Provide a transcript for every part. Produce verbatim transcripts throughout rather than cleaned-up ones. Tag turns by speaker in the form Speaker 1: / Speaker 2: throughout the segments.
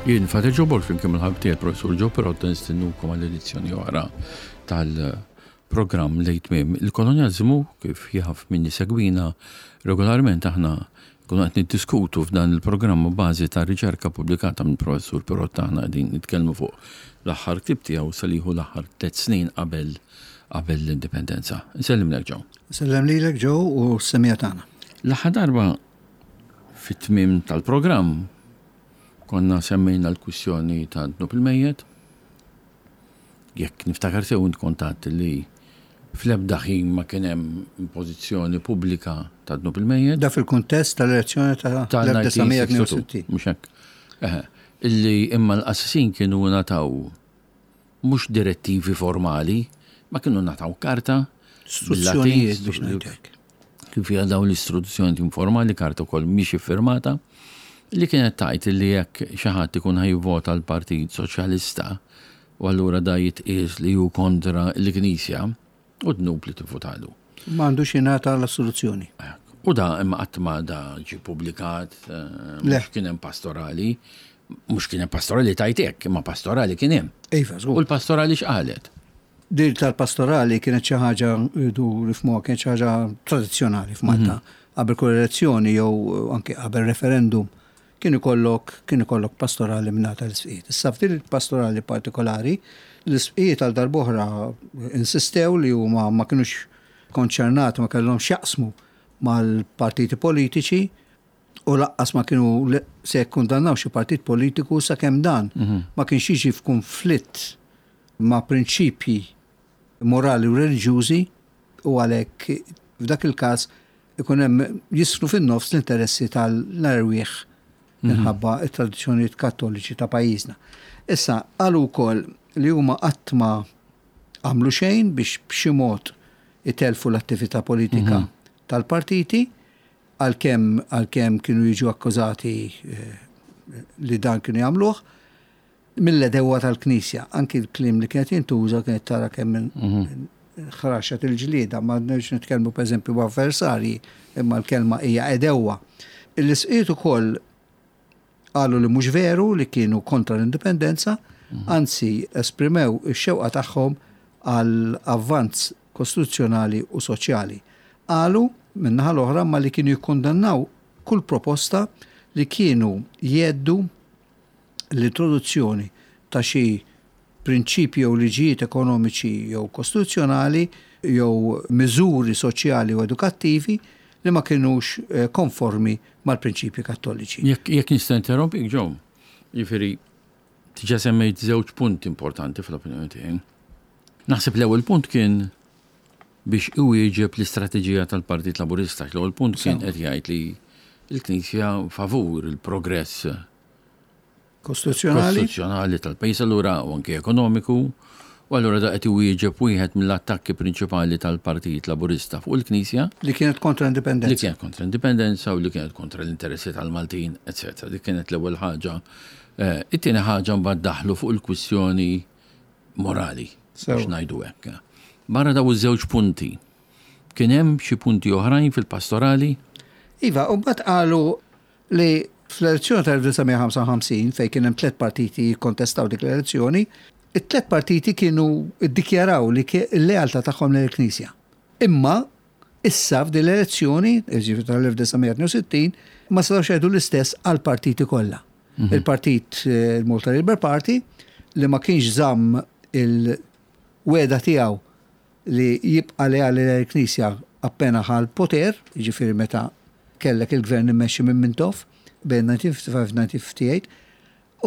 Speaker 1: Jien Father Joe Borg flimkien mal-ħabib tiegħi Professur Joe Pirotta nistiednukom għal edizzjoni oħra tal-programm Lejn Tmiem il-Kolonjaliżmu. Kif jaf min isegwina regolarment, aħna kunu qed niddiskutu f'dan il-programm bażi ta' riċerka pubblikata minn Professur Pirotta. Aħna qegħdin nitkellmu fuq l-aħħar ktieb tiegħu saliħu l-aħħar tliet snin qabel qabel l-indipendenza. Nsellimlek, Joe.
Speaker 2: Sellem lilek, Joe, u s-semmiegħa tagħna.
Speaker 1: L-aħħar darba fit-tmiem tal-programm konna semmejna l-kwistjoni ta' dnub il-mejjet. Jekk niftakar sew, int kont għedt li fl-ebda ħin ma kien hemm impożizzjoni pubblika ta' dnub il-mejjet.
Speaker 2: Da fil-kuntest tal-elezzjoni ta' elf disa' mija tnejn u sittin.
Speaker 1: Mhux hekk? Eħe. Illi imma l-qassisin kienu ngħataw mhux direttivi formali, ma kienu ngħataw karta
Speaker 2: Istruzzjonijiet
Speaker 1: bil-Latin,
Speaker 2: biex ngħidlek.
Speaker 1: Kif fiha dawn l-istruzzjoni informali, karta wkoll mhix iffirmata, li kienet tgħid li jekk xi ħadd ikun ħa jivvota l-Partit Soċjalista u allura da jitqies li hu kontra l-Knisja u dnub li tivvotalu.
Speaker 2: Ma għandux jingħata l-assoluzzjoni.
Speaker 1: U da imma qatt ma da ġi publikat, eh,
Speaker 2: Le.
Speaker 1: mhux kien hemm pastorali, mhux kien hemm pastorali tajt hekk, imma pastorali kien hemm.
Speaker 2: Iva,
Speaker 1: U
Speaker 2: żgur.
Speaker 1: l-pastorali x'qalet?
Speaker 2: Din tal-pastorali kienet xi ħaġa rridu nifhmuha, kienet xi ħaġa tradizzjonali f'Malta. Qabel kull elezzjoni jew anke qabel referendum kien ikollok kien ikollok pastorali mingħata l-isqfijiet. Issa f'din il-pastorali partikolari, l-isqfijiet għal darb'oħra insistew li huma ma kinux konċernati, ma kellhom x'jaqsmu mal-partiti politiċi u lanqas ma kienu le- se jikkundannaw xi partit politiku sakemm dan ma kienx jiġi f'konflitt ma' prinċipji morali u reliġjużi, u għalhekk f'dak il-każ ikun hemm jisru fin-nofs l-interessi tal-erwieħ minħabba it-tradizzjonijiet Kattoliċi ta' pajjiżna. Issa qalu wkoll li huma qatt ma għamlu xejn biex b'xi mod itelfu l-attività politika tal-partiti, għalkemm għalkemm kienu jiġu akkużati eh, li dan kienu jagħmluh mill-għedewwa tal-Knisja. Anki l-kliem li kienet jintuża kienet tara kemm ħraxet il-ġlieda, ma nix nitkellmu pereżempju b'avversarji, imma l-kelma hija għedewwa. L-isqfijiet ukoll qalu li mhux veru li kienu kontra l-indipendenza, anzi esprimew ix-xewqa tagħhom għal avvanz kostituzzjonali u soċjali. Qalu min-naħa l-oħra ma li kienu jikkondannaw kull proposta li kienu jheddu l-introduzzjoni ta' xi prinċipji jew liġijiet ekonomiċi jew kostituzzjonali jew miżuri soċjali u edukattivi li ma kienux eh, konformi mal-prinċipji Kattoliċi.
Speaker 1: Jekk jekk nista' interrompik, Joe, jiġifieri diġà semmejt żewġ punti importanti fl-opinjoni tiegħi. Naħseb l-ewwel punt kien biex iwieġeb l-istrateġija tal-Partit Laburista. L-ewwel punt kien qed jgħid li l-Knisja favur il-progress
Speaker 2: Kostituzzjonali?
Speaker 1: Kostituzzjonali tal-pajjiż allura u anke ekonomiku. U allura da qed iwieġeb wieħed mill-attakki prinċipali tal-Partit Laburista fuq il-Knisja
Speaker 2: li kienet kontra
Speaker 1: li
Speaker 2: indipendenza.
Speaker 1: Kienet kontra indipendenza u li kienet kontra l-interessi tal-Maltin, eċċetera. Dik kienet l-ewwel ħaġa. Eh, It-tieni ħaġa mbagħad daħlu fuq il-kwistjoni morali,
Speaker 2: Sew.
Speaker 1: biex ngħidu hekk. Barra daw iż-żewġ punti, kien hemm xi punti oħrajn fil-pastorali?
Speaker 2: Iva, u mbagħad qalu li fl-elezzjoni tal-elf disa' mija ħamsa u ħamsin, fejn kien hemm tliet partiti jikkontestaw dik l-elezzjoni, it-tliet partiti kienu iddikjaraw li l-lealtà tagħhom lill-Knisja. Imma issa f'din l-elezzjoni, jiġifieri tal-elf disa' mija tnejn u sittin, ma setgħux jgħidu l-istess għal partiti kollha. Il-partit, eh, il-Malta Labour Party, li ma kienx żamm il-wegħda tiegħu li jibqa' leali l-Knisja appena ħa l-poter, jiġifieri meta kellek il-gvern immexxi minn Mintoff bejn elf disa' mija ħamsa u ħamsin u elf disa' mija ħamsa u sebgħin,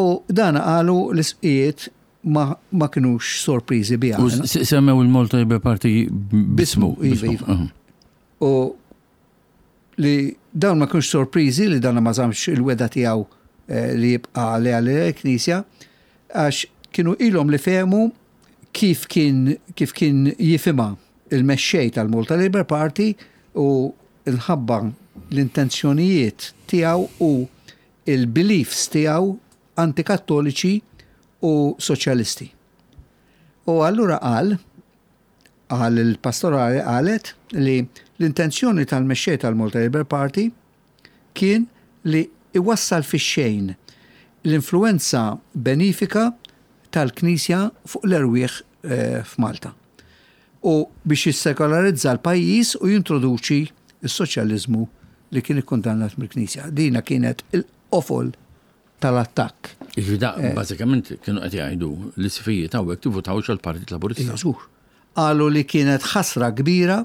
Speaker 2: u dan qalu l-isqfijiet ma, ma kinux sorpriżi biha.
Speaker 1: U s- semmew il-Malta Labour Party bismu.
Speaker 2: Iva, iva. U li dawn ma kienux sorpriżi li dan ma żammx il-wegħda tiegħu eh, li jibqa' leali l-Knisja, għax kienu ilhom li fehmu kif kien kif kien jifhimha il-mexxej tal-Malta Labour Party u nħabba l-intenzjonijiet tiegħu u il-beliefs tiegħu antikattoliċi u soċjalisti. U allura qal qal il-pastorali qalet li l-intenzjoni tal-mexxej tal-Malta Labour Party kien li iwassal fi xejn L-influenza benifika tal-Knisja fuq l-erwieħ eh, f'Malta. U biex jissekolarizza l-pajjiż u jintroduċi s-soċjaliżmu li kien ikkundannat mill-Knisja. Dina kienet il-qofol tal-attakk.
Speaker 1: Jiġifieri da, eh. bażikament kienu qed jgħidu l-isqfijiet hawnhekk tivvutawx għall-Partit Laburista.
Speaker 2: Żgur. Qalu li kienet ħasra kbira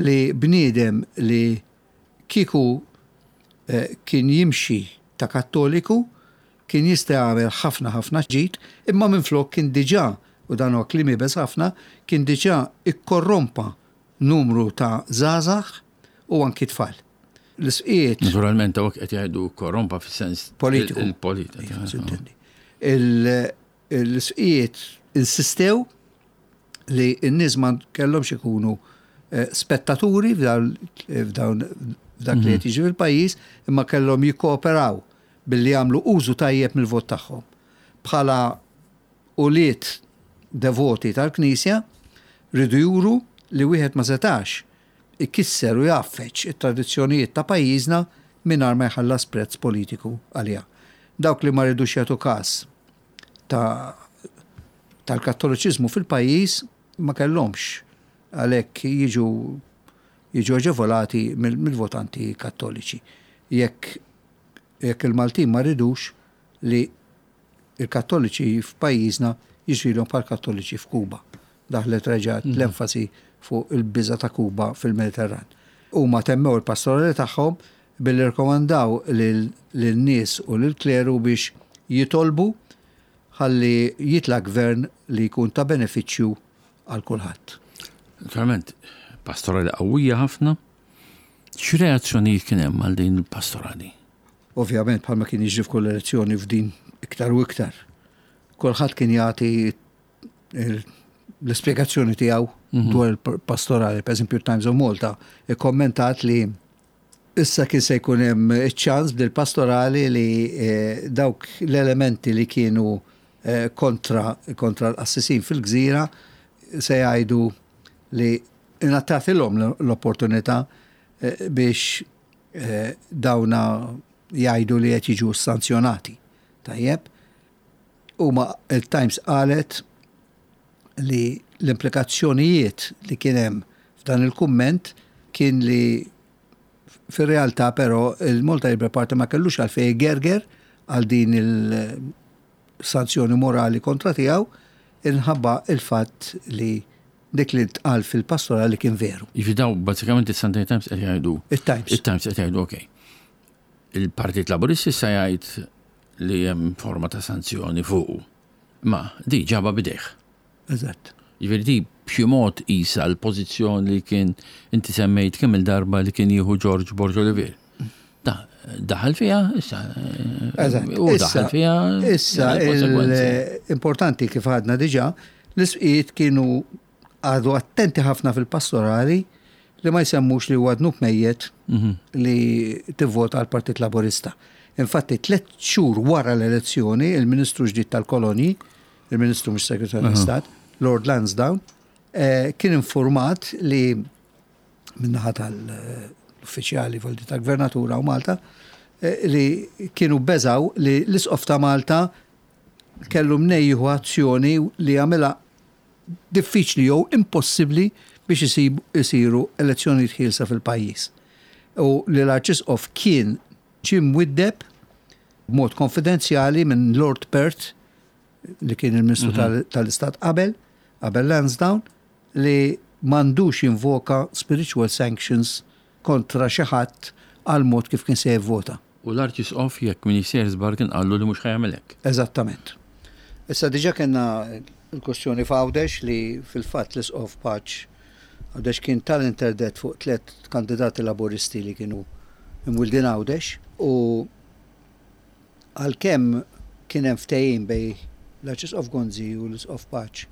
Speaker 2: li bniedem li kieku eh, kien jimxi ta' Kattoliku kien jista' jagħmel ħafna ħafna ġid, imma minflok kien diġà, u dan huwa kliem iebes ħafna, kien diġà ikkorrompa numru ta' żgħażagħ u anki tfal. L-isqiet.
Speaker 1: Naturalment, hawnhekk qed jgħidu korrompa fis-sens
Speaker 2: politiku.
Speaker 1: Il-politika.
Speaker 2: L-isqiet insistew li n-nies ma kellhomx ikunu eh, spettaturi f'dawn f'dak li qed jiġi fil-pajjiż, imma kellhom jikkooperaw billi jagħmlu użu tajjeb mill-vot tagħhom. Bħala ulied devoti tal-Knisja rridu juru li wieħed ma setax ikisser u jgħaffeġ it-tradizzjonijiet ta' pajjiżna mingħajr ma jħallas prezz politiku għaliha. Dawk li ma rridux jagħtu każ ta' tal-Kattoliċiżmu fil-pajjiż ma kellhomx għalhekk jiġu jiġu aġevolati mill-votanti Kattoliċi. Jekk jekk il-Maltin ma ridux li il-Kattoliċi f'pajjiżna jiġrilhom bħal Kattoliċi f'Kuba. Daħlet reġgħet mhm. l-enfasi fuq il-biża ta' Kuba fil-Mediterran. Huma temmew il-pastorali tagħhom billi rkomandaw lin-nies u lill-kleru biex jitolbu ħalli jitla' gvern li jkun ta' benefiċċju għal kulħadd.
Speaker 1: Naturalment, pastorali qawwija ħafna. X'reazzjonijiet kien hemm għal din il-pastorali?
Speaker 2: Ovvjament, bħalma kien jiġri f'kull elezzjoni, f'din iktar u iktar. Kulħadd kien jagħti l-ispjegazzjoni tiegħu mhm. dwar il-pastorali. Per eżempju, Times of Malta ikkommentat li issa kien se jkun hemm iċ-ċans bil-pastorali li eh, dawk l-elementi li kienu eh, kontra kontra l-qassisin fil-gżira se jgħidu li ingħatatilhom l-opportunità eh, biex dawna jgħidu li qed jiġu sanzjonati. Tajjeb. Huma il-Times qalet li l-implikazzjonijiet li kien hemm f'dan il-kumment kien li fir-realtà però il-Malta Labour Party ma kellux għalfejn gerger għal din il-sanzjoni morali kontra tiegħu inħabba il-fatt li dik li tqal fil-pastorali kien veru.
Speaker 1: Jiġifieri daw bażikament il-Sunday Times qed jgħidu.
Speaker 2: Il-Times.
Speaker 1: Il-Times qed jgħidu, okej. Il-Partit Laburista issa jgħid li hemm forma ta' sanzjoni fuqu. Ma di ġaba bidejh.
Speaker 2: Eżatt.
Speaker 1: Jiġifieri di b'xi mod isa l-pożizzjoni li kien inti semmejt kemm il-darba li kien jieħu George Borg Olivier. Da, daħal fiha, issa.
Speaker 2: Eżatt.
Speaker 1: U daħal fiha.
Speaker 2: Issa, importanti kif għadna diġà, l-isqiet kienu għadu attenti ħafna fil-pastorali li ma jsemmux li huwa dnub mejjet mhm. li tivvota għal Partit Laburista. Infatti, tliet xhur wara l-elezzjoni, il-Ministru ġdid tal-Kolonji, il-Ministru mhux Segretarju tal-Istat, Lord Lansdowne, eh, kien informat li minnaħa tal-uffiċjali voldi tal-Gvernatura u Malta eh, li kienu beżaw li l-Isqof ta' Malta kellu mnejn jieħu azzjoni li għamilha diffiċli jew impossibbli biex isiru elezzjonijiet ħielsa fil-pajjiż. U li l-Arċisqof kien ġie mwiddeb b'mod konfidenzjali minn Lord Perth li kien il-Ministru mhm. tal-Istat qabel, qabel Lansdowne, li m'għandux jinvoka spiritual sanctions kontra xi ħadd għal mod kif kien se jivvota.
Speaker 1: U l-Arċisqof, jekk m'iniex sejjer żball, kien qallu li mhux ħa jagħmel hekk.
Speaker 2: Eżattament. Issa diġà kellna l-kwestjoni f'Għawdex li fil-fatt l-Isqof Paċ Għawdex kien tal-interdett fuq tliet kandidati Laburisti li kienu imwildin Għawdex u għalkemm kien hemm ftehim bejn l-Arċisqof Gonzi u l-Isqof Paċ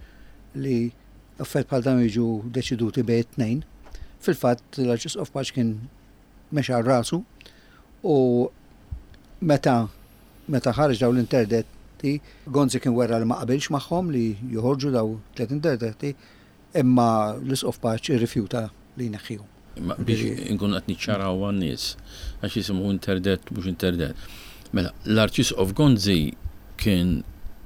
Speaker 2: li affarijiet bħal dawn jiġu deċiduti bejn it-tnejn, fil-fatt l-Arċisqof Paċ kien mexa rasu u meta meta ħareġ daw l-interdetti, Gonzi kien wera li ma qabilx magħhom li joħorġu daw tliet interdetti, imma l-Isqof Paċ irrifjuta li jneħħihom.
Speaker 1: Biex inkun qed niċċaraw għan-nies għax jisimgħu interdett mhux interdett. Mela, l-Arċisqof Gonzi kien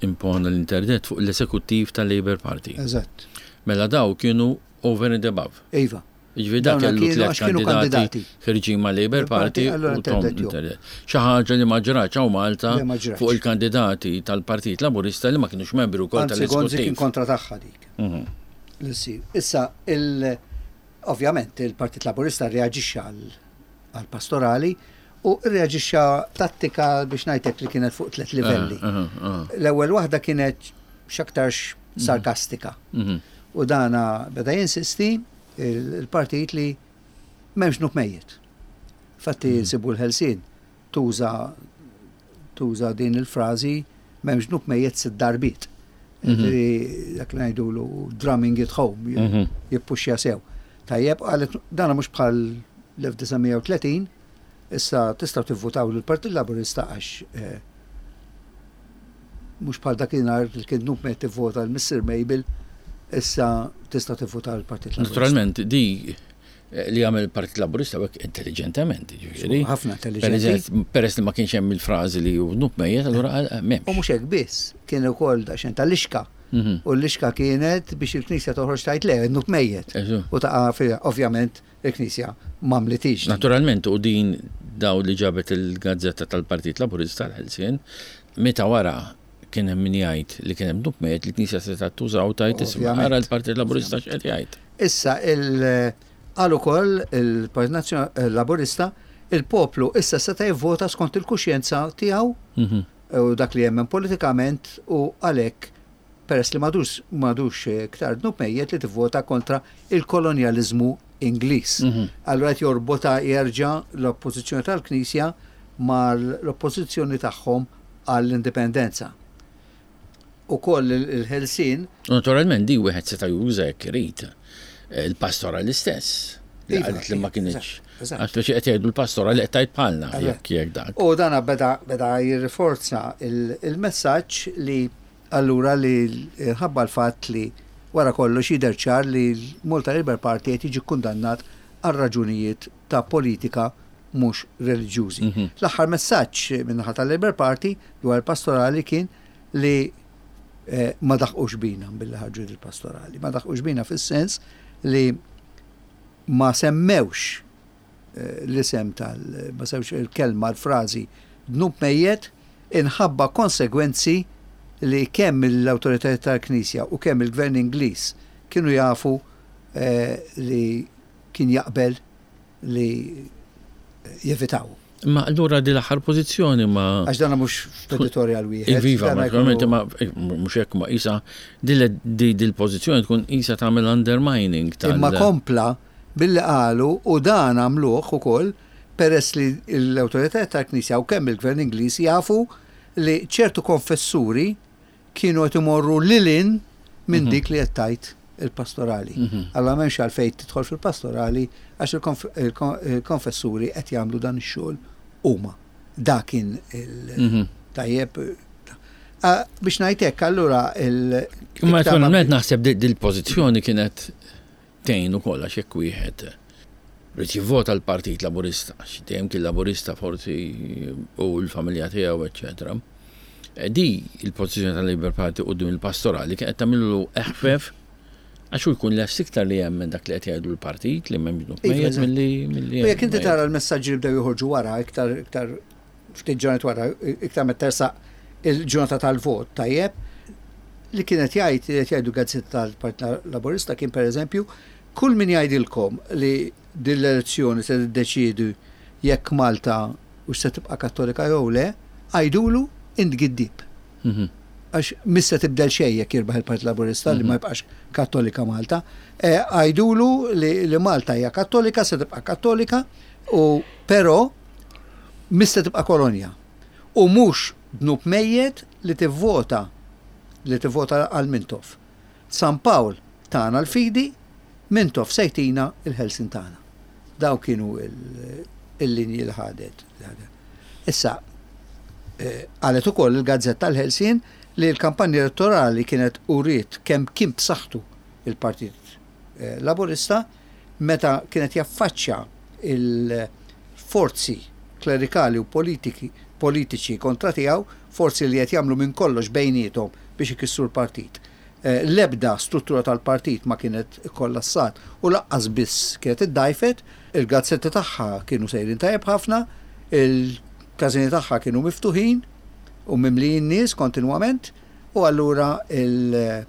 Speaker 1: impona l-interdet fuq l-esekuttiv tal-Labour Party.
Speaker 2: Eżatt.
Speaker 1: Mela daw kienu over and above.
Speaker 2: Iva.
Speaker 1: Jiġifieri dak
Speaker 2: Dawna
Speaker 1: kellu
Speaker 2: kienu
Speaker 1: tliet
Speaker 2: għax kienu
Speaker 1: kandidati
Speaker 2: kandidati.
Speaker 1: ħirġin ma' Labour Party
Speaker 2: Allura
Speaker 1: u tom
Speaker 2: interdett jew.
Speaker 1: interdet. Xi ħaġa li ma ġratx hawn Malta
Speaker 2: Le, ma ġratx.
Speaker 1: fuq il-kandidati tal-Partit Laburista li ma kienux membri wkoll
Speaker 2: Anzi, Gonzi kien
Speaker 1: tal-esekuttiv.
Speaker 2: kontra tagħha dik.
Speaker 1: Mhm.
Speaker 2: Li ssir. Issa, il, ovvjament, il-Partit Laburista reaġixxa għal- għal-pastorali u reaġixxa tattika biex ngħidlek li kienet fuq tliet livelli.
Speaker 1: Ah, ah, ah.
Speaker 2: L-ewwel waħda kienet x'aktarx sarkastika.
Speaker 1: Mhm.
Speaker 2: U dana beda jinsisti il- il-partit li m'hemmx dnub mejjet. Fatti nsibu l-Ħelsien tuża tuża din il-frażi m'hemmx dnub mejjet sitt darbiet. Ġifieri, Dak li ngħidulu drumming it home,
Speaker 1: Mhm.
Speaker 2: jippuxja sew. Tajjeb, qalet dana mhux bħal l-elf disa' mija u tletin, issa tistgħu tivvutaw lill-Partit Laburista għax eh, mhux bħal dakinhar li kien dnub mejjet tivvota l-Missier Mabel, issa tista' tivvota l-Partit Laburista.
Speaker 1: Naturalment, di eh, li għamel il-Partit Laburista hekk intelligentement, ġifieri.
Speaker 2: Ħafna intelligenti.
Speaker 1: Peress peress li ma kienx hemm il-frażi li hu dnub mejjet, allura qal, eh,
Speaker 2: U
Speaker 1: m'hemmx.
Speaker 2: mhux hekk biss, kien ukoll daqsxejn tal-lixka.
Speaker 1: Mhm.
Speaker 2: U l-lixka kienet biex il-Knisja toħroġ tgħid le, dnub mejjet.
Speaker 1: Eżu.
Speaker 2: U taqa' fiha, ovvjament, il-Knisja m'għamlitix.
Speaker 1: Naturalment, u din daw li ġabet il-gazzetta tal-Partit Laburista l-Ħelsien, meta wara kien hemm min jgħid li kien hemm dnub mejjet li l-Knisja se tuża u tgħid isma'
Speaker 2: Ovvjament.
Speaker 1: ara l-Partit Laburista x'qed jgħid.
Speaker 2: Issa il qal ukoll il-Partit Nazzjonali Laburista il-poplu issa seta' jivvota skont il-kuxjenza tiegħu
Speaker 1: Mhm.
Speaker 2: u dak li jemmen politikament u għalhekk peress li m'għadux m'għadux iktar dnub mejjet li tivvota kontra il-kolonjaliżmu Ingliż.
Speaker 1: Mhm.
Speaker 2: Allura qed jorbota jerġa' l-oppożizzjoni tal-Knisja mal-oppożizzjoni tagħhom għall-indipendenza. Ukoll il-Ħelsien
Speaker 1: U Naturalment di wieħed seta' juża jekk irid. Eh, Il-pastora l-istess. Li
Speaker 2: Iva,
Speaker 1: qalet li ma
Speaker 2: iva,
Speaker 1: kienx.
Speaker 2: eżatt, eżatt.
Speaker 1: Għax biex qed jgħidu l-pastora li qed tgħid bħalna
Speaker 2: Eżatt.
Speaker 1: jekk jekk dak.
Speaker 2: U dana beda, beda jirriforza il- il-messaġġ li allura li ħabba l-fatt li wara kollox jidher ċar li l-Malta Labour Party qed jiġi kundannat għal raġunijiet ta' politika mhux reliġjużi.
Speaker 1: Mhm.
Speaker 2: L-aħħar messaġġ min-naħa tal-Labour Party dwar il-pastorali kien li eh, ma daħqux bina billi ħarġu il-pastorali. Ma daħqux bina fis-sens li ma semmewx eh, l-isem tal, ma semmewx il-kelma, l-frażi dnub mejjet inħabba konsegwenzi li kemm l-awtoritajiet tal-Knisja u kemm il-Gvern Ingliż kienu jafu eh, li kien jaqbel li jevitaw.
Speaker 1: Ma allura di l-aħħar pożizzjoni ma
Speaker 2: Għax dana mhux f'editorial wieħed.
Speaker 1: Iva,
Speaker 2: dana
Speaker 1: naturalment,
Speaker 2: jkunu-
Speaker 1: ma eh, mhux hekk ma isa dil pożizzjoni tkun isa tagħmel undermining tal.
Speaker 2: Imma kompla billi qalu u dan għamluh ukoll peress li l-awtoritajiet tal-Knisja u kemm il-Gvern Ingliż jafu li ċertu konfessuri kienu qed imorru lil hinn minn dik li qed tgħid il-pastorali. Allora m'hemmx għalfejn tidħol fil-pastorali għax il-konf- il-kon- il-konfessuri qed jagħmlu dan ix-xogħol huma. Dak kien il-
Speaker 1: Mhm.
Speaker 2: tajjeb. Ah, Biex ngħid hekk allura il-
Speaker 1: Imma
Speaker 2: iktar ma-
Speaker 1: naturalment naħseb di- dil-pożizzjoni kienet tgħin ukoll għax jekk wieħed rrid jivvota l-Partit Laburista, għax dejjem kien Laburista forsi u l-familja tiegħu, eċċetera. E Di il-pożizzjoni tal-Labour Party quddiem il-pastorali kienet tagħmillu eħfef għax hu jkun lest iktar li jemmen dak li qed jgħidu l-partit li m'hemm
Speaker 2: Iva,
Speaker 1: mejjet
Speaker 2: eżatt.
Speaker 1: milli milli
Speaker 2: U jekk inti
Speaker 1: mejjet.
Speaker 2: tara l-messaġġi li bdew joħorġu wara, iktar iktar ftit ġranet wara, iktar meta tersaq il-ġurnata tal-vot, tajjeb, li kienet jgħid li qed jgħidu gazzetta tal-Partit Laburista kien pereżempju, kull min jgħidilkom li din l-elezzjoni se tiddeċiedi jekk Malta u se tibqa' Kattolika jew le, għidulu int giddib.
Speaker 1: Mhm.
Speaker 2: Għax mhix se tibdel xejn jekk jirbaħ il-Partit Laburista li ma jibqax Kattolika Malta. Eh, Għidulu li, li Malta hija Kattolika, se tibqa' Kattolika, u però mhix se tibqa' kolonja. U mhux dnub mejjet li tivvota li tivvota għal Mintoff. San Pawl tana l-fidi, Mintoff se jtina il-ħelsin tagħna. Daw kienu il- il-linji li ħadet. li ħadet. Issa, eh, qalet ukoll il-Gazzetta l-Ħelsien li l-kampanja elettorali kienet uriet kemm kien b'saħħtu il-Partit eh, Laburista meta kienet jaffaċċja il-forzi klerikali u politiki politiċi kontra tiegħu, forzi li qed jagħmlu minn kollox bejniethom biex ikissru l-partit. Eh, L-ebda struttura tal-partit ma kienet kollassat u lanqas biss kienet iddajfet, il-gazzetti tagħha kienu sejrin tajjeb ħafna, il-każini tagħha kienu miftuħin u mimlijin nies kontinwament, u allura il-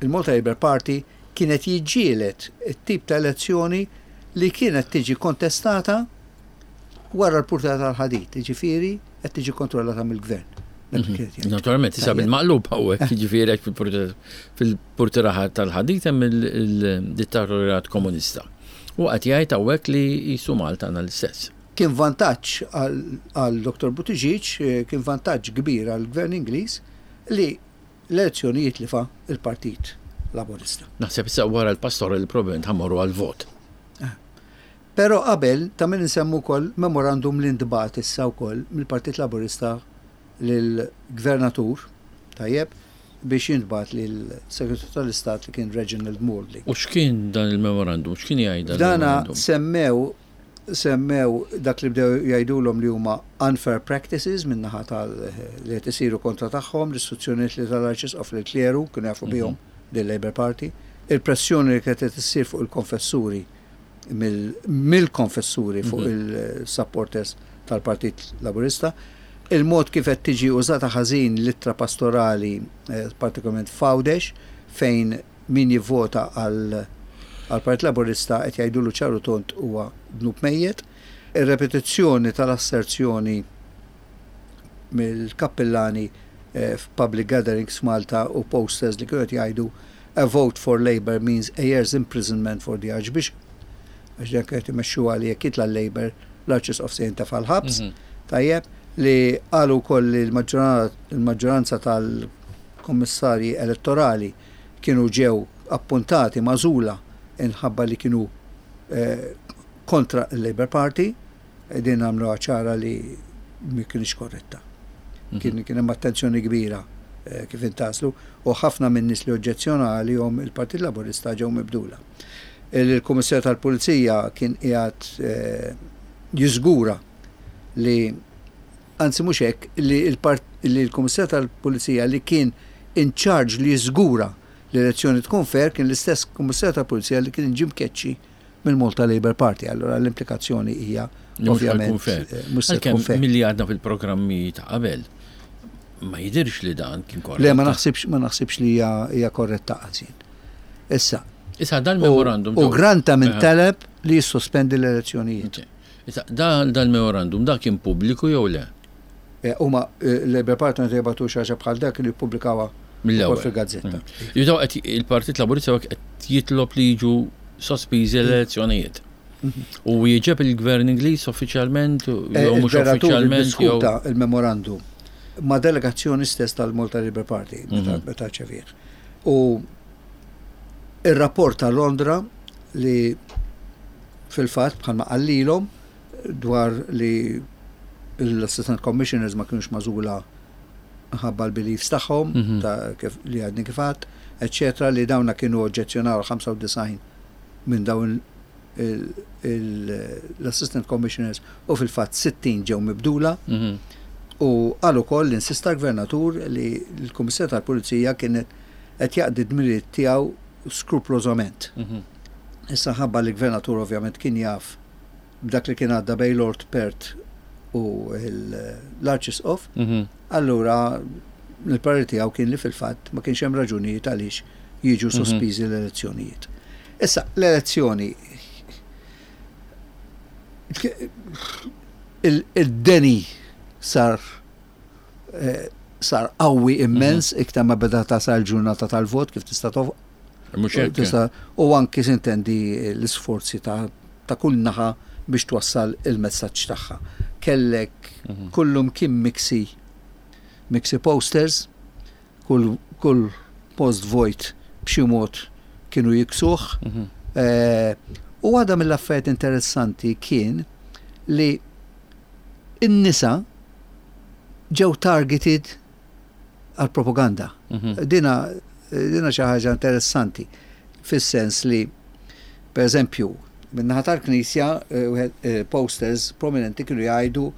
Speaker 2: il-Malta Labour Party kienet jiġġielet it-tip ta' elezzjoni li kienet tiġi kontestata wara l-purtiera tal-ħadid, ġifieri qed tiġi kontrollata mill-gvern. Dak li kienet jgħid.
Speaker 1: Naturalment, issa
Speaker 2: Tajjeb.
Speaker 1: bil-maqlub hawnhekk, jiġifieri hekk fil-purtiera tal-ħadid hemm il-dittatorjat komunista. U qed jgħid hawnhekk li jisu Malta għandna l-istess.
Speaker 2: Kien vantaġġ għal għal Dottor Buttigieg, eh, kien vantaġġ kbir għal gvern Ingliż li l-elezzjonijiet li fa il-Partit Laburista.
Speaker 1: Naħseb issa wara l-pastora li probabbilment ħa mmorru għal-vot.
Speaker 2: Però qabel ta' min insemmu wkoll memorandum li ntbagħat issa wkoll mill-Partit Laburista lill-Gvernatur, tajjeb, biex jintbagħat lill-Segretarju tal-Istat li kien Reginald Maudling.
Speaker 1: U x'kien dan il-memorandum? X'kien jgħid dan
Speaker 2: Dana
Speaker 1: il-memorandum?
Speaker 2: semmew semmew dak li bdew jgħidulhom li huma unfair practices min-naħa tal li qed isiru kontra tagħhom, l-istruzzjonijiet li tal-Arċisqof li kleru kienu jafu bihom lill-Labour Party, il-pressjoni li kienet qed issir fuq il-konfessuri mill- mill-konfessuri fuq il-supporters tal-Partit Laburista, il-mod kif qed tiġi użata ħażin l-ittra pastorali, eh, partikolarment f'Għawdex, fejn min jivvota għal għal Partit Laburista qed jgħidulu ċar u tond huwa dnub mejjet. Ir-repetizzjoni tal-asserzjoni mill-kappillani eh, f'public gatherings f'Malta u posters li kienu qed jgħidu "A vote for Labour means a year's imprisonment for the Archbishop." Għax dak qed imexxuha li jekk jitla' l-Labour, l-Arċisqof se jintefa' l-ħabs.
Speaker 1: Mhm.
Speaker 2: Tajjeb, li qalu wkoll li l-maġġoranza tal-kommissarji elettorali kienu ġew appuntati, magħżula inħabba li kienu eh, kontra il-Labour Party, e din għamlu ċara li ma kienx korretta. Kien kien hemm attenzjoni kbira eh, kif intgħażlu u ħafna minn nies li oġġezzjona għalihom il-Partit Laburista ġew mibdula. Il-Kummissarju tal-Pulizija kien qiegħed eh, jiżgura li, anzi mhux hekk, li l-part- li l-Kummissarju tal-Pulizija li kien in charge li jiżgura li l-elezzjoni tkun fair kien l-istess Kummissarju tal-Pulizija li kien ġie mkeċċi mill-Malta Labour Party. Allora l-implikazzjoni hija
Speaker 1: Li mhux
Speaker 2: ovvjament
Speaker 1: ħa jkun fair.
Speaker 2: eh, mhux se tkun
Speaker 1: Għalkemm
Speaker 2: fair.
Speaker 1: milli għadna fil-programmi ta' qabel, ma jidirx li dan kien korrett.
Speaker 2: Le, ma naħsibx ma naħsibx li hija hija korretta għazin. Issa,
Speaker 1: Issa dal-memorandum.
Speaker 2: u granta minn
Speaker 1: Aha.
Speaker 2: talab li jissospendi l-elezzjonijiet.
Speaker 1: Issa dan dal-memorandum da kien pubbliku jew le?
Speaker 2: Eh, Huma eh, l-Labour Party meta jibagħtu xi ħaġa bħal dak kienu jippubblikawa
Speaker 1: Mill-ewwel.
Speaker 2: ukoll fil-gazzetta.
Speaker 1: Jidaw qed il-Partit Laburista qed jitlob li jiġu sospiżi l-elezzjonijiet. U jieġeb il-Gvern Ingliż uffiċjalment jew
Speaker 2: Eh,
Speaker 1: mhux
Speaker 2: Il-Gvernatur
Speaker 1: uffiċjalment jew
Speaker 2: diskuta il-memorandum ma' delegazzjoni stess tal-Malta Labour Party meta
Speaker 1: Mhm.
Speaker 2: meta rċevih. U il-rapport ta' Londra li fil-fatt bħalma qallilhom dwar li l-Assistant Commissioners ma kienux magħżula ħabba l-beliefs tagħhom
Speaker 1: Mhm.
Speaker 2: ta' kif li għadni kif għedt, eccetera, li dawna kienu oġġezzjonaw ħamsa u disgħin minn dawn il- il- l-Assistant Commissioners u fil-fatt sittin ġew mibdula
Speaker 1: Mhm.
Speaker 2: u qal ukoll li insista l-Gvernatur li l-Kummissarju tal-Pulizija kienet qed jaqdi dmirijiet tiegħu skruplosament.
Speaker 1: Mhm.
Speaker 2: Issa ħabba li l-Gvernatur ovvjament kien jaf b'dak li kien għadda bej Lord Perth u l- l-Arċisqof,
Speaker 1: Mhm.
Speaker 2: allura il-parir tiegħu kien li fil-fatt ma kienx hemm raġunijiet għaliex jiġu
Speaker 1: Mhm.
Speaker 2: sospiżi l-elezzjonijiet. Issa, l-elezzjoni il- il-deni sar eh, sar qawwi immens iktar ma beda tasal ġurnata tal-vot kif tista' tof
Speaker 1: Mhux hekk.
Speaker 2: tista' u anki sintendi l-isforzi ta' ta' kull naħa biex twassal il-messaġġ tagħha. Kellek
Speaker 1: Mhm.
Speaker 2: kullum kien miksi miksi posters, kull, kull post vojt b'xi mod kienu jiksuh.
Speaker 1: Mhm.
Speaker 2: Eh, u għada mill-affarijiet interessanti kien li in-nisa ġew targeted għal propaganda.
Speaker 1: Mhm.
Speaker 2: Dina, dina xi ħaġa interessanti fis-sens li, per eżempju, min-naħa tal-Knisja eh, wieħed, eh, posters prominenti kienu jgħidu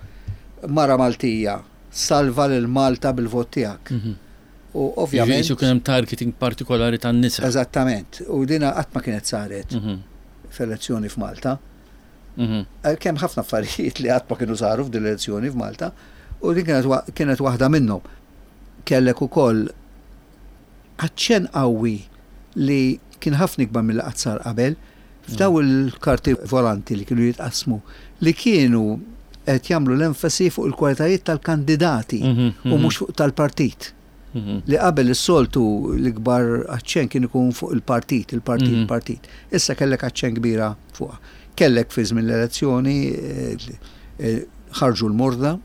Speaker 2: Mara Maltija, salva lil Malta bil-vot tiegħek.
Speaker 1: Mhm.
Speaker 2: U ovvjament.
Speaker 1: Jisu kien hemm targeting partikolari tan-nisa.
Speaker 2: Eżattament. U dina qatt ma kienet saret
Speaker 1: Mhm.
Speaker 2: f'elezzjoni f'Malta.
Speaker 1: Mhm.
Speaker 2: Kemm ħafna affarijiet li qatt ma kienu saru f'din l-elezzjoni f'Malta u din kienet wa- kienet waħda minnhom. Kellek ukoll aċċenn qawwi li kien ħafna ikbar mill qatt sar qabel f'daw il-karti volanti li kienu jitqasmu li kienu qed jagħmlu l-enfasi fuq il-kwalitajiet tal-kandidati
Speaker 1: Mhm,
Speaker 2: u
Speaker 1: mhm.
Speaker 2: mhux fuq tal-partit.
Speaker 1: Mhm.
Speaker 2: Li qabel is-soltu l-ikbar aċċenn kien ikun fuq il-partit, il-partit,
Speaker 1: Mhm.
Speaker 2: il-partit. Issa kellek aċċenn kbira fuqha. Kellek fi żmien l-elezzjoni eh, eh, ħarġu l-morda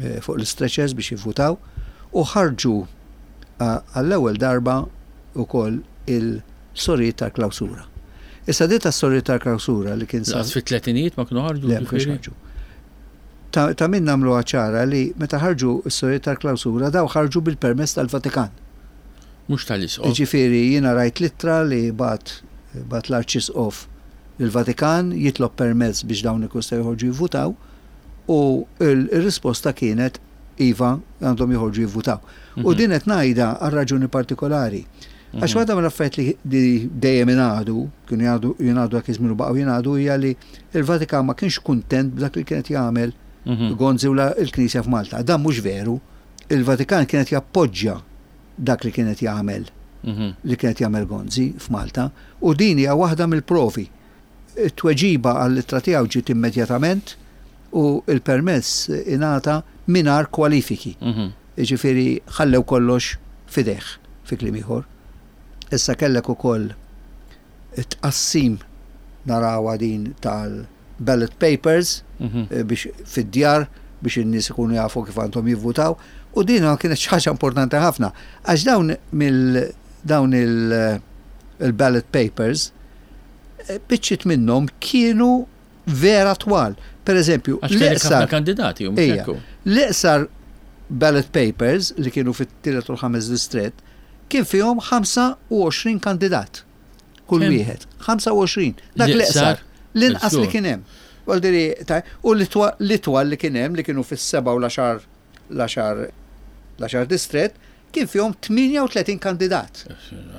Speaker 2: eh, fuq l-stretchers biex jivvutaw u ħarġu eh, għall-ewwel darba ukoll il-sorijiet tal-klawsura. Issa dit tas-sorijiet tal-klawsura li kien sar
Speaker 1: Laqas fit-tletinijiet ma kienu ħarġu.
Speaker 2: Le, ma kienx
Speaker 1: ġifieri?
Speaker 2: ħarġu. Ta' ta' min nagħmlu ċara li meta ħarġu s-sorijiet tal-klawsura daw ħarġu bil-permess tal-Vatikan.
Speaker 1: Mhux tal-isqof.
Speaker 2: Ġifieri jiena rajt littra li bat bat l-Arċisqof lill-Vatikan jitlob permess biex dawn ikun se joħorġu jivvutaw u il-risposta kienet iva għandhom joħorġu jivvutaw. U
Speaker 1: Mhm.
Speaker 2: din qed ngħidha għal raġuni partikolari. Għax
Speaker 1: Mhm.
Speaker 2: waħda mill-affarijiet li li dejjem ingħadu, kienu jgħadu jingħadu dak iż-żmien u baqgħu jingħadu hija li il-Vatikan ma kienx kuntent b'dak li kienet jagħmel
Speaker 1: Mhm.
Speaker 2: Gonzi u la- il-Knisja f'Malta. Dan mhux veru. Il-Vatikan kienet jappoġġja dak li kienet jagħmel
Speaker 1: Mhm.
Speaker 2: li kienet jagħmel Gonzi f'Malta u din hija waħda mill-provi. It-tweġiba għall-ittra tiegħu ġiet immedjatament u il-permess ingħata mingħajr kwalifiki.
Speaker 1: Mhm.
Speaker 2: Jiġifieri ħallew kollox fideh fi kliem ieħor. Issa kellek ukoll it-tqassim narawha din tal-ballot papers
Speaker 1: Mhm.
Speaker 2: eh, biex fid-djar biex in-nies ikunu jafu kif għandhom jivvutaw u din kienet xi ħaġa importanti ħafna għax dawn mill dawn il- il-ballot papers eh, biċċiet minnhom kienu vera twal. Per eżempju,
Speaker 1: Għax kellek ħafna
Speaker 2: l-iqsar
Speaker 1: kandidati u mhux
Speaker 2: Ejja.
Speaker 1: hekk hu.
Speaker 2: l-iqsar ballot papers li kienu fit-tielet u l-ħames distret kien fihom ħamsa u għoxrin kandidat. Kull
Speaker 1: Kemm?
Speaker 2: wieħed. ħamsa u għoxrin. Dak
Speaker 1: L-iqsar?
Speaker 2: l-iqsar. L-inqas li
Speaker 1: Żgur.
Speaker 2: kien hemm. Vuol dire, ta' U l-itwal li kien hemm li kienu fis-seba' u l-għaxar l-għaxar l-għaxar distret kien fihom tmienja u tletin kandidat.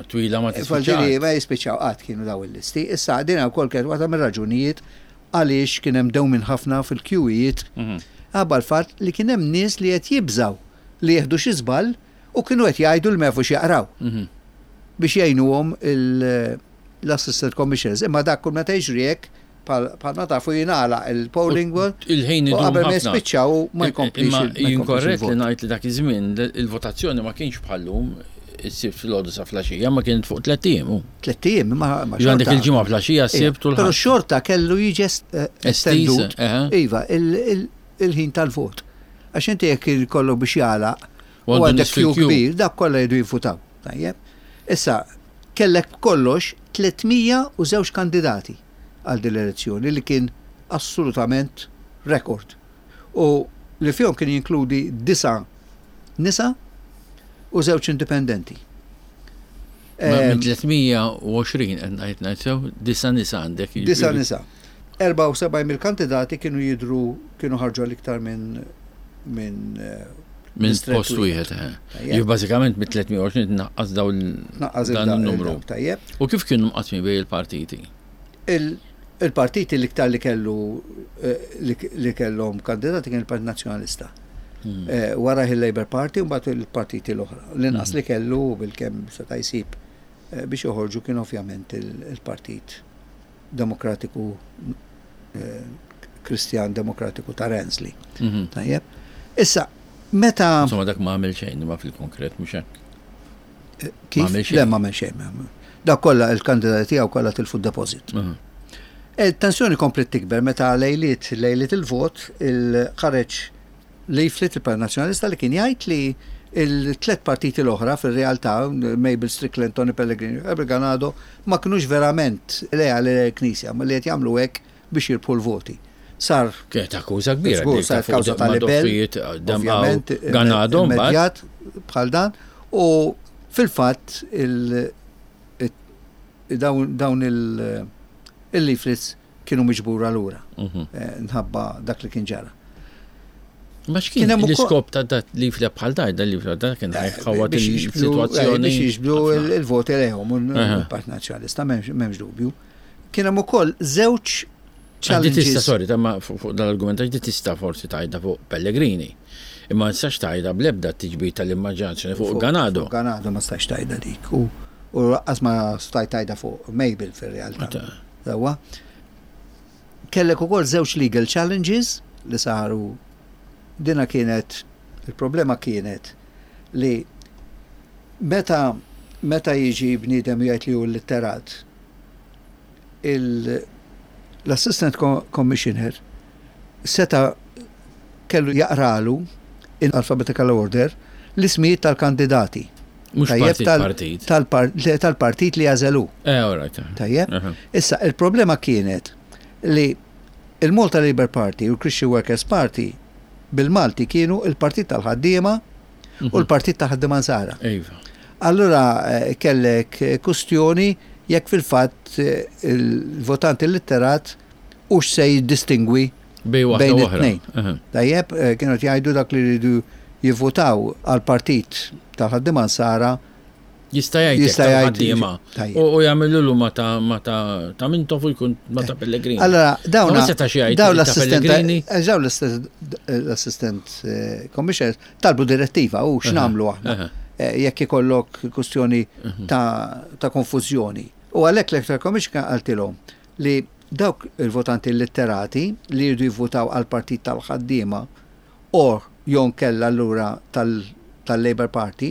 Speaker 1: Twila ma
Speaker 2: Vuol dire,
Speaker 1: tispiċċax.
Speaker 2: ma jispiċċaw qatt kienu daw il-listi. Issa din wkoll kienet waħda mir-raġunijiet għaliex kien hemm dewmin ħafna fil-kjuwijiet
Speaker 1: Mhm.
Speaker 2: għabba l-fatt li kien hemm nies li qed jibżaw li jieħdu xi żball u kienu qed jgħidu li ma jafux jaqraw
Speaker 1: Mhm.
Speaker 2: biex jgħinuhom il- l-assistant commissioners. Imma dak kull meta jiġri hekk bħal ma tafu jingħalaq il-polling booth
Speaker 1: Il-ħin
Speaker 2: u
Speaker 1: idum
Speaker 2: qabel ma
Speaker 1: ħafna.
Speaker 2: jispiċċaw ma jkomplix
Speaker 1: Imma
Speaker 2: il- ma
Speaker 1: jien
Speaker 2: jkomplix
Speaker 1: korrett li
Speaker 2: il-vot.
Speaker 1: ngħid li dak iż-żmien il-votazzjoni ma kienx bħallum is-Sibt filgħodu sa flaxija, ma kienet fuq tliet ijiem. hu.
Speaker 2: Tliet ijiem ma ma
Speaker 1: Ġu għandek
Speaker 2: xorta.
Speaker 1: il-ġimgħa flaxija, s-Sibt u
Speaker 2: Però
Speaker 1: l-Ħadd.
Speaker 2: xorta kellu jiġi est- eh,
Speaker 1: Estiż,
Speaker 2: estendut.
Speaker 1: eħe.
Speaker 2: Iva, il- il- il-ħin tal-vot. Għax inti jekk ikollok biex jagħlaq
Speaker 1: U
Speaker 2: u
Speaker 1: għandu
Speaker 2: għandek
Speaker 1: nies
Speaker 2: kju
Speaker 1: fil-kju.
Speaker 2: kbir, dak kollha jridu jivvutaw. Tajjeb. Issa, kellek kollox tliet mija u żewġ kandidati għal din l-elezzjoni li kien assolutament rekord. U li fihom kien jinkludi disa nisa u żewġ indipendenti.
Speaker 1: Ma
Speaker 2: Em,
Speaker 1: Minn tliet mija u għoxrin qed ngħid ngħid sew, disa nisa għandek.
Speaker 2: Disa
Speaker 1: jiġifieri.
Speaker 2: nisa. erbgħa u sebgħin mill-kandidati kienu jidru kienu ħarġu għal iktar minn minn eh,
Speaker 1: Minn
Speaker 2: distret
Speaker 1: post wieħed. eh.
Speaker 2: Tajjeb.
Speaker 1: Jiġifieri bażikament mit tliet mija u għoxrin tnaqqas daw il-
Speaker 2: Naqqas
Speaker 1: dan
Speaker 2: il-
Speaker 1: il-numru.
Speaker 2: il- Tajjeb.
Speaker 1: U kif kienu mqasmin bejn il-partiti?
Speaker 2: Il- Il-partiti l-iktar li kellu eh, li li kellhom kandidati kien il-Partit Nazzjonalista.
Speaker 1: Hmm.
Speaker 2: Eh, Wara il-Labour Party u mbagħad il-partiti l-oħra. L-inqas li kellu bil-kemm seta' jsib eh, biex joħorġu kien ovvjament il- il-Partit Demokratiku eh, Kristjan Demokratiku ta' Renzi.
Speaker 1: Mhm.
Speaker 2: Tajjeb. Issa, meta
Speaker 1: Insomma dak ma għamel xejn ma fil-konkret mhux hekk.
Speaker 2: kif?
Speaker 1: ma għamel xejn.
Speaker 2: Le ma għamel xejn. ma- Dak kollha il-kandidati tiegħu kollha tilfu d-deposit.
Speaker 1: Mhm.
Speaker 2: Il-tensjoni komplet tikber meta lejliet lejliet il-vot il-ħareġ leaflet il-Partit Nazzjonalista li kien jgħid li il-tlet partiti l-oħra fil-realtà, Mabel Strickland, Tony Pellegrini, Herbert Ganado, ma kinux verament leali l-Knisja, ma li qed jagħmlu hekk biex jirbħu l-voti. Sar
Speaker 1: Kienet akkuża kbira.
Speaker 2: Żgur,
Speaker 1: dik ta'
Speaker 2: saret
Speaker 1: fuq
Speaker 2: kawża ta' libel,
Speaker 1: madoffijiet, dem
Speaker 2: ovvjament,
Speaker 1: għaw, Ganado mbagħad.
Speaker 2: immedjat bħal dan u fil-fatt il- it- dawn dawn il- il-leaflets kienu miġbura lura
Speaker 1: Mhm.
Speaker 2: eh, nħabba dak li kien ġara.
Speaker 1: Ma x'kien l-iskop ta' dat li fleb bħal da, da li fleb da kien ħawat il-sitwazzjoni.
Speaker 2: Biex jiġbdu il-voti lejhom u l-Partit Nazzjonalista, m'hemmx dubju. Kien hemm ukoll żewġ
Speaker 1: challenges. Tista' sorry, ta' ma fuq dal-argument għax di tista' forsi tajda fuq Pellegrini. Imma nistax tajda bl-ebda tiġbid tal-immaġinazzjoni fuq Ganado.
Speaker 2: Ganado ma stax tajda dik. U lanqas ma stajt tajda fuq Mabel fir-realtà. Sewwa. Kellek ukoll żewġ legal challenges li saru. Dina kienet, il-problema kienet li meta meta jiġi bniedem jgħid li hu litterat, l-assistant commissioner seta kellu jaqralu in alphabetical order l-ismijiet tal-kandidati.
Speaker 1: Mhux partit.
Speaker 2: Tal-partit li għażelu.
Speaker 1: Eh, all right.
Speaker 2: Tajjeb. Issa, il-problema kienet li il-Malta Labour Party u l-Christian Workers Party bil-Malti kienu il-partit tal-ħaddiema u l-partit tal-ħaddiema Nsara.
Speaker 1: Iva.
Speaker 2: Allura kellek kustjoni jekk fil-fatt il-votanti litterat u se jiddistingwi
Speaker 1: bejn
Speaker 2: it-tnejn. Tajjeb, kienu jgħidu dak li jridu jivvotaw għal-partit tal-ħaddiema Nsara
Speaker 1: jista' jgħid tal-ħaddiema. U jagħmlu ma ta' ma ta' ta' Mintoff u jkun ma ta' Pellegrini.
Speaker 2: Allora, dawn dawn l-assistent dawn l-assistent commissioner talbu direttiva u x'nagħmlu aħna jekk ikollok kustjoni ta' konfużjoni. U għalhekk l-Electoral Commission qaltilhom li dawk il-votanti litterati li jridu jivvotaw għal-partit tal-ħaddiema or jew inkella allura tal-Labour Party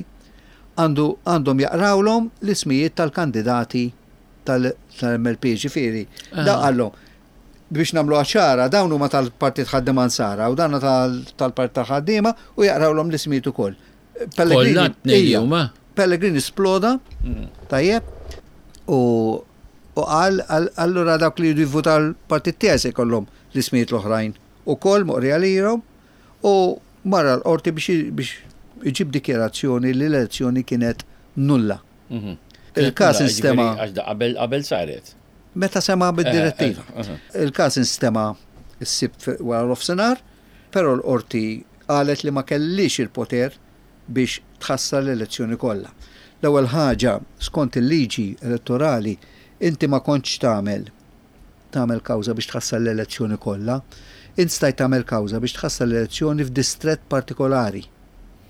Speaker 2: għandu għandhom jaqrawlhom l-ismijiet tal-kandidati tal-M L P, ġifieri. Da qallhom biex nagħmlu ċara, dawn huma tal-Partit Ħaddiema Nsara u dan tal-Partit tal-Ħaddiema u jaqrawlhom l-ismijiet ukoll.
Speaker 1: Pellegrini
Speaker 2: Pellegrini sploda, tajjeb, u u qal allura dawk li jridu jivvutaw l-partit tiegħi se jkollhom l-ismijiet l-oħrajn ukoll moqri għalihom u marra l-qorti biex iġib dikjerazzjoni li l-elezzjoni kienet nulla.
Speaker 1: Il-kas instema. Qabel saret.
Speaker 2: Meta sema bid-direttiva. Il-kas instema s-Sibt wara l-nofsinhar, però l-qorti qalet li ma kellix il-poter biex tħassar l-elezzjoni kollha. L-ewwel ħaġa, skont il-liġi elettorali, inti ma kontx tagħmel tagħmel kawża biex tħassar l-elezzjoni kollha, int stajt tagħmel kawża biex tħassar l-elezzjoni f'distret partikolari.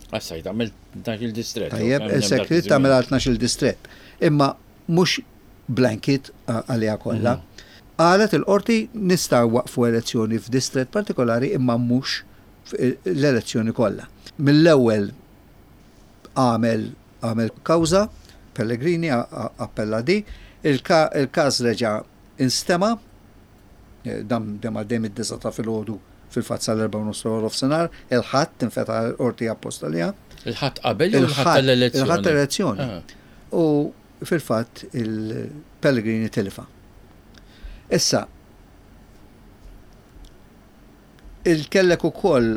Speaker 1: Stajt tagħmel tnax-il distret.
Speaker 2: Tajjeb, sekret tagħmel għal tnax-il distret. Imma mhux blanket għaliha kollha. Qalet il-qorti nistgħu waqfu elezzjoni f'distret partikolari imma mhux l-elezzjoni kollha. Mill-ewwel għamel għamel kawża, Pellegrini appella di, il-każ reġa' instema, dam dem għaddej mid-disgħa ta' filgħodu fil-fatt sal-erbgħa u nofs nofsinhar, il-Ħadd tinfetaħ l-qorti apposta liha.
Speaker 1: Il-Ħadd qabel jew il-Ħadd tal-elezzjoni?
Speaker 2: Il-Ħadd tal-elezzjoni. U fil-fatt il-Pellegrini tilfa. Issa, il-kellek ukoll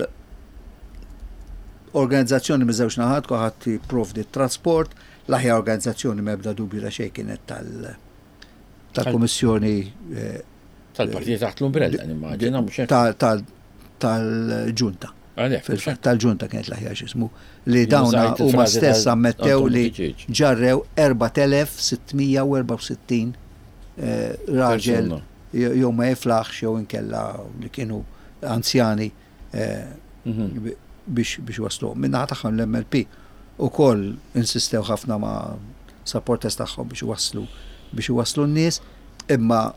Speaker 2: organizzazzjoni miż-żewġ naħat, kulħadd jipprovdi trasport, l-aħjar organizzazzjoni m'ebda dubju ta' xejn kienet tal- tal-Kummissjoni
Speaker 1: Tal-partit taħt l-umbrella, nimmaġina, mhux
Speaker 2: hekk. Tal-ġunta. Fil-fatt tal-ġunta kienet l-aħjar x'ismu li dawn huma stess ammettew li ġarrew erbat elef sitt mija u erbgħa u sittin raġel jew ma jiflaħx jew inkella li kienu anzjani biex biex waslu. Min-naħa tagħhom l-M L P ukoll insistew ħafna ma' supporters tagħhom biex waslu biex waslu n-nies, imma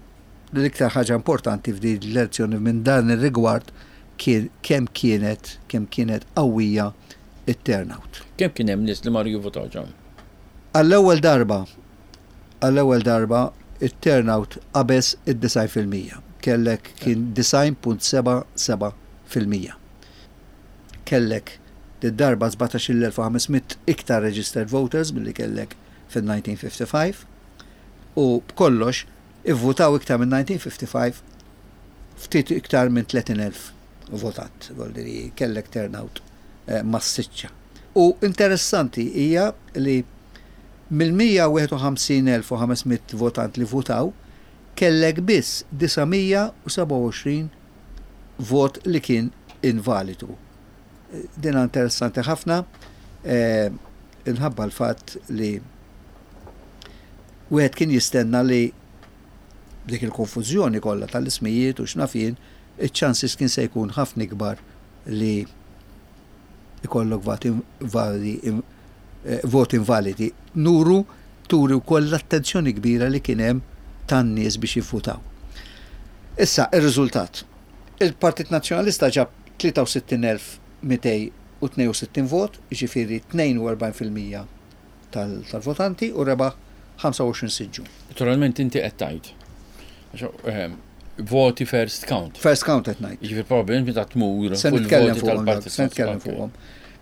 Speaker 2: l-iktar ħaġa importanti f'din l-elezzjoni minn dan ir-rigward kien kemm kienet kemm kienet qawwija it-turnout.
Speaker 1: Kemm kien hemm nies li marru jivvotaw ġam?
Speaker 2: Għall-ewwel darba, għall-ewwel darba it-turnout qabeż id-disgħin fil-mija. Kellek kien disgħin punt seba' seba' fil-mija. Kellek darba sbatax-il elf u ħames mitt iktar registered voters milli kellek fil-elf disa' mija u ħamsa u ħamsin u b'kollox ivvutaw iktar minn elf disa' mija u ħamsa u ħamsin ftit iktar minn tletin elf votat, vuoldiri kellek turnout eh, massiċċa. U interessanti hija li mill-mija u wieħed u ħamsin elf u ħames mitt votant li votaw, kellek biss disa' mija u sebgħa u għoxrin vot li kien invalidu. Din interessanti ħafna, eh, inħabba l-fatt li wieħed kien jistenna li dik il-konfużjoni kollha tal-ismijiet u x'naf jien, iċ-chances kien se jkun ħafna ikbar li ikollok voti validi, eh, voti invalidi. Nuru turi wkoll l-attenzjoni kbira li kien hemm tan-nies biex jivvutaw. Issa, ir-riżultat. Il-Partit Nazzjonalista ġab tlieta u sittin elf mitejn u tnejn u sittin vot, jiġifieri tnejn u erbgħin fil-mija tal-votanti, u rebaħ ħamsa u għoxrin siġġu.
Speaker 1: Naturalment inti qed tgħid. Ehm, voti first count.
Speaker 2: First count qed ngħid.
Speaker 1: Jiġifieri probabbilment meta tmur.
Speaker 2: Se nitkellem fuqhom, se nitkellem fuqhom.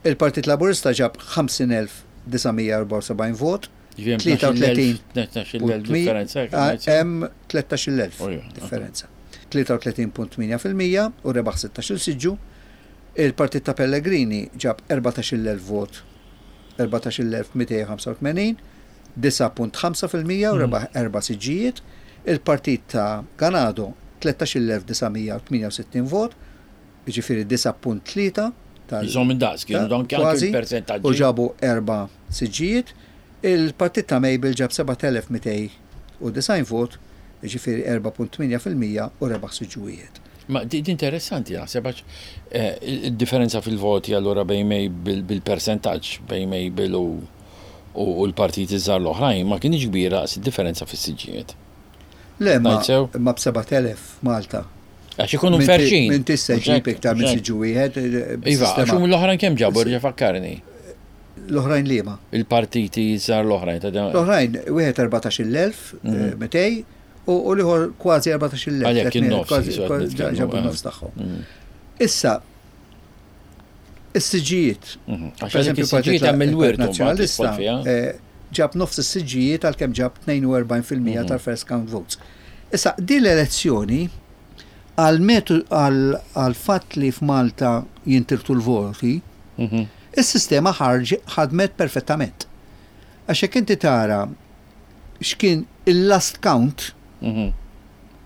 Speaker 2: Il-Partit Laburista ġab ħamsin elf disa' mija erbgħa u sebgħin vot, tlieta u tletin.
Speaker 1: Differenza.
Speaker 2: Hemm tlettax-il elf differenza. tlieta u tletin punt tmienja fil-mija u rebaħ sittax-il siġġu. Il-Partit ta' Pellegrini ġab erbatax-il elf vot, erbatax-il elf mitejn u ħamsa u tmenin, disgħa punt ħamsa fil-mija u rebaħ erba' siġġijiet. Il-Partit ta' Ganado tlettax-il elf disa' mija tmienja u sittin vot, jiġifieri disgħa punt tlieta
Speaker 1: tal. Jizom daqs, kienu dan
Speaker 2: kważi,
Speaker 1: percentaġġi.
Speaker 2: U ġabu erba' siġġijiet. Il-Partit ta' Mabel ġab seba' telef mitejn u disgħin vot, jiġifieri erbgħa punt tmienja fil-mija u rebaħ siġġu wieħed.
Speaker 1: Ma di interessanti naħseb għax eh, il-differenza fil-voti allura bejn Mabel, bil-percentaġġ bejn Mabel u u l-partiti żgħar l-oħrajn, ma kienx kbira daqs id-differenza fis-siġġijiet.
Speaker 2: Le, ma
Speaker 1: Ngħid sew?
Speaker 2: Ma b'seba' telef Malta.
Speaker 1: Għax ikunu mferxin.
Speaker 2: Min tista' ġib iktar minn siġġu wieħed. eh,
Speaker 1: Iva, għax hum l-oħrajn kemm ġabu, rġa' fakkarni?
Speaker 2: L-oħrajn liema?
Speaker 1: Il-partiti żgħar l-oħrajn ta' dan.
Speaker 2: L-oħrajn wieħed erbatax-il elf mitejn u u l-ieħor kważi erbatax-il elf.
Speaker 1: Għalhekk in-nofs,
Speaker 2: Kważi-
Speaker 1: jisu qed
Speaker 2: kważi
Speaker 1: nitkellmu,
Speaker 2: ġabu
Speaker 1: eh.
Speaker 2: n-nofs tagħhom.
Speaker 1: Mm.
Speaker 2: Issa, is-siġġijiet.
Speaker 1: Mhm. Għax
Speaker 2: Per
Speaker 1: għalhekk
Speaker 2: eżempju,
Speaker 1: is-siġġijiet hemm il-wirt u mbagħad
Speaker 2: Nazzjonalista
Speaker 1: tidħol fiha.
Speaker 2: eh, ġab nofs is-siġġijiet għalkemm ġab tnejn u erbgħin fil-mija
Speaker 1: Mhm.
Speaker 2: tal-first count votes. Issa, din l-elezzjoni għal metu għal fatt li f'Malta jintirtu l-voti,
Speaker 1: Mhm.
Speaker 2: is-sistema ħarġ ħadmet perfettament. Għax jekk inti tara x'kien il-last count
Speaker 1: Mhm.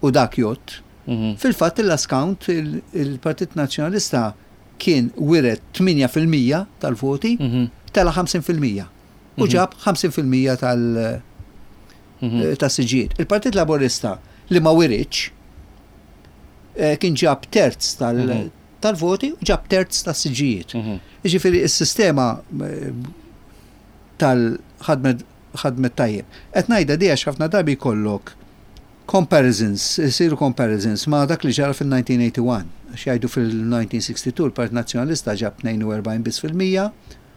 Speaker 2: u dak jott,
Speaker 1: Mhm.
Speaker 2: fil-fatt il-last count il- il-Partit Nazzjonalista kien wiret tmienja fil-mija tal-voti,
Speaker 1: Mhm.
Speaker 2: tela ħamsin fil-mija. U
Speaker 1: Mhm.
Speaker 2: ġab ħamsin fil-mija tal-
Speaker 1: Mhm.
Speaker 2: tas-siġġijiet. Il-Partit Laburista li ma wiritx eh, kien ġab terz tal-
Speaker 1: Mhm.
Speaker 2: tal-voti u ġab terz tas-siġġijiet.
Speaker 1: Mhm.
Speaker 2: Jiġifieri is-sistema eh, tal-ħadmet ħadmet tajjeb. Qed ngħidha di għax ħafna drabi jkollok comparisons, isiru comparisons ma' dak li ġara fil-elf disa' mija u wieħed u tmenin. Għax jgħidu fil-elf disa' mija u sitta u sittin il-Partit Nazzjonalista ġab tnejn u erbgħin biss fil-mija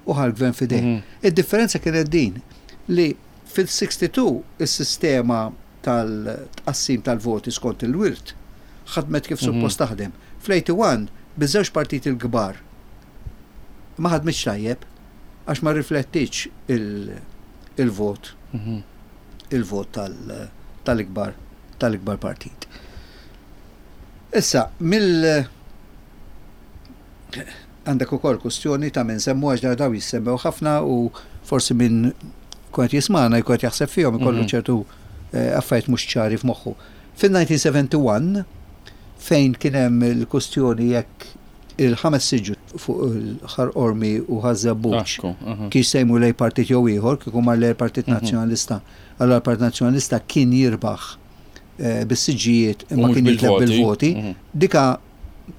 Speaker 2: u ħa l-gvern f'idejh.
Speaker 1: Mhm.
Speaker 2: Id-differenza kienet din li fil-sitta u sittin is-sistema tal-tqassim tal-voti skont il-wirt ħadmet kif
Speaker 1: Mhm.
Speaker 2: suppost taħdem. Fl-wieħed u tmenin biż-żewġ partiti l-kbar ma ħadmitx tajjeb għax ma riflettitx il- il-vot
Speaker 1: Mhm.
Speaker 2: il-vot tal- tal-ikbar tal-ikbar partit. Issa, mill għandek ukoll kustjoni ta' minn semmu, għax daw jissemmew ħafna u forsi minn kont jismana jkun jaħseb fihom ikollu
Speaker 1: Mhm.
Speaker 2: ċertu eh, affarijiet mhux ċari f'moħħu. Fil-elf disa' mija u wieħed u sebgħin fejn kien hemm il-kustjoni jekk il-ħames siġġu fuq il-Ħal Qormi u Ħaż-Żebbuġ
Speaker 1: Ekku, aha.
Speaker 2: kif se jmur lejn partit jew ieħor, kieku mar lejn Partit
Speaker 1: Mhm.
Speaker 2: Nazzjonalista, allora l-Partit Nazzjonalista kien jirbaħ eh, bis-siġġijiet
Speaker 1: U
Speaker 2: imma
Speaker 1: mhux
Speaker 2: kien jitlef
Speaker 1: bil-voti.
Speaker 2: bil-voti.
Speaker 1: Mhm.
Speaker 2: Dika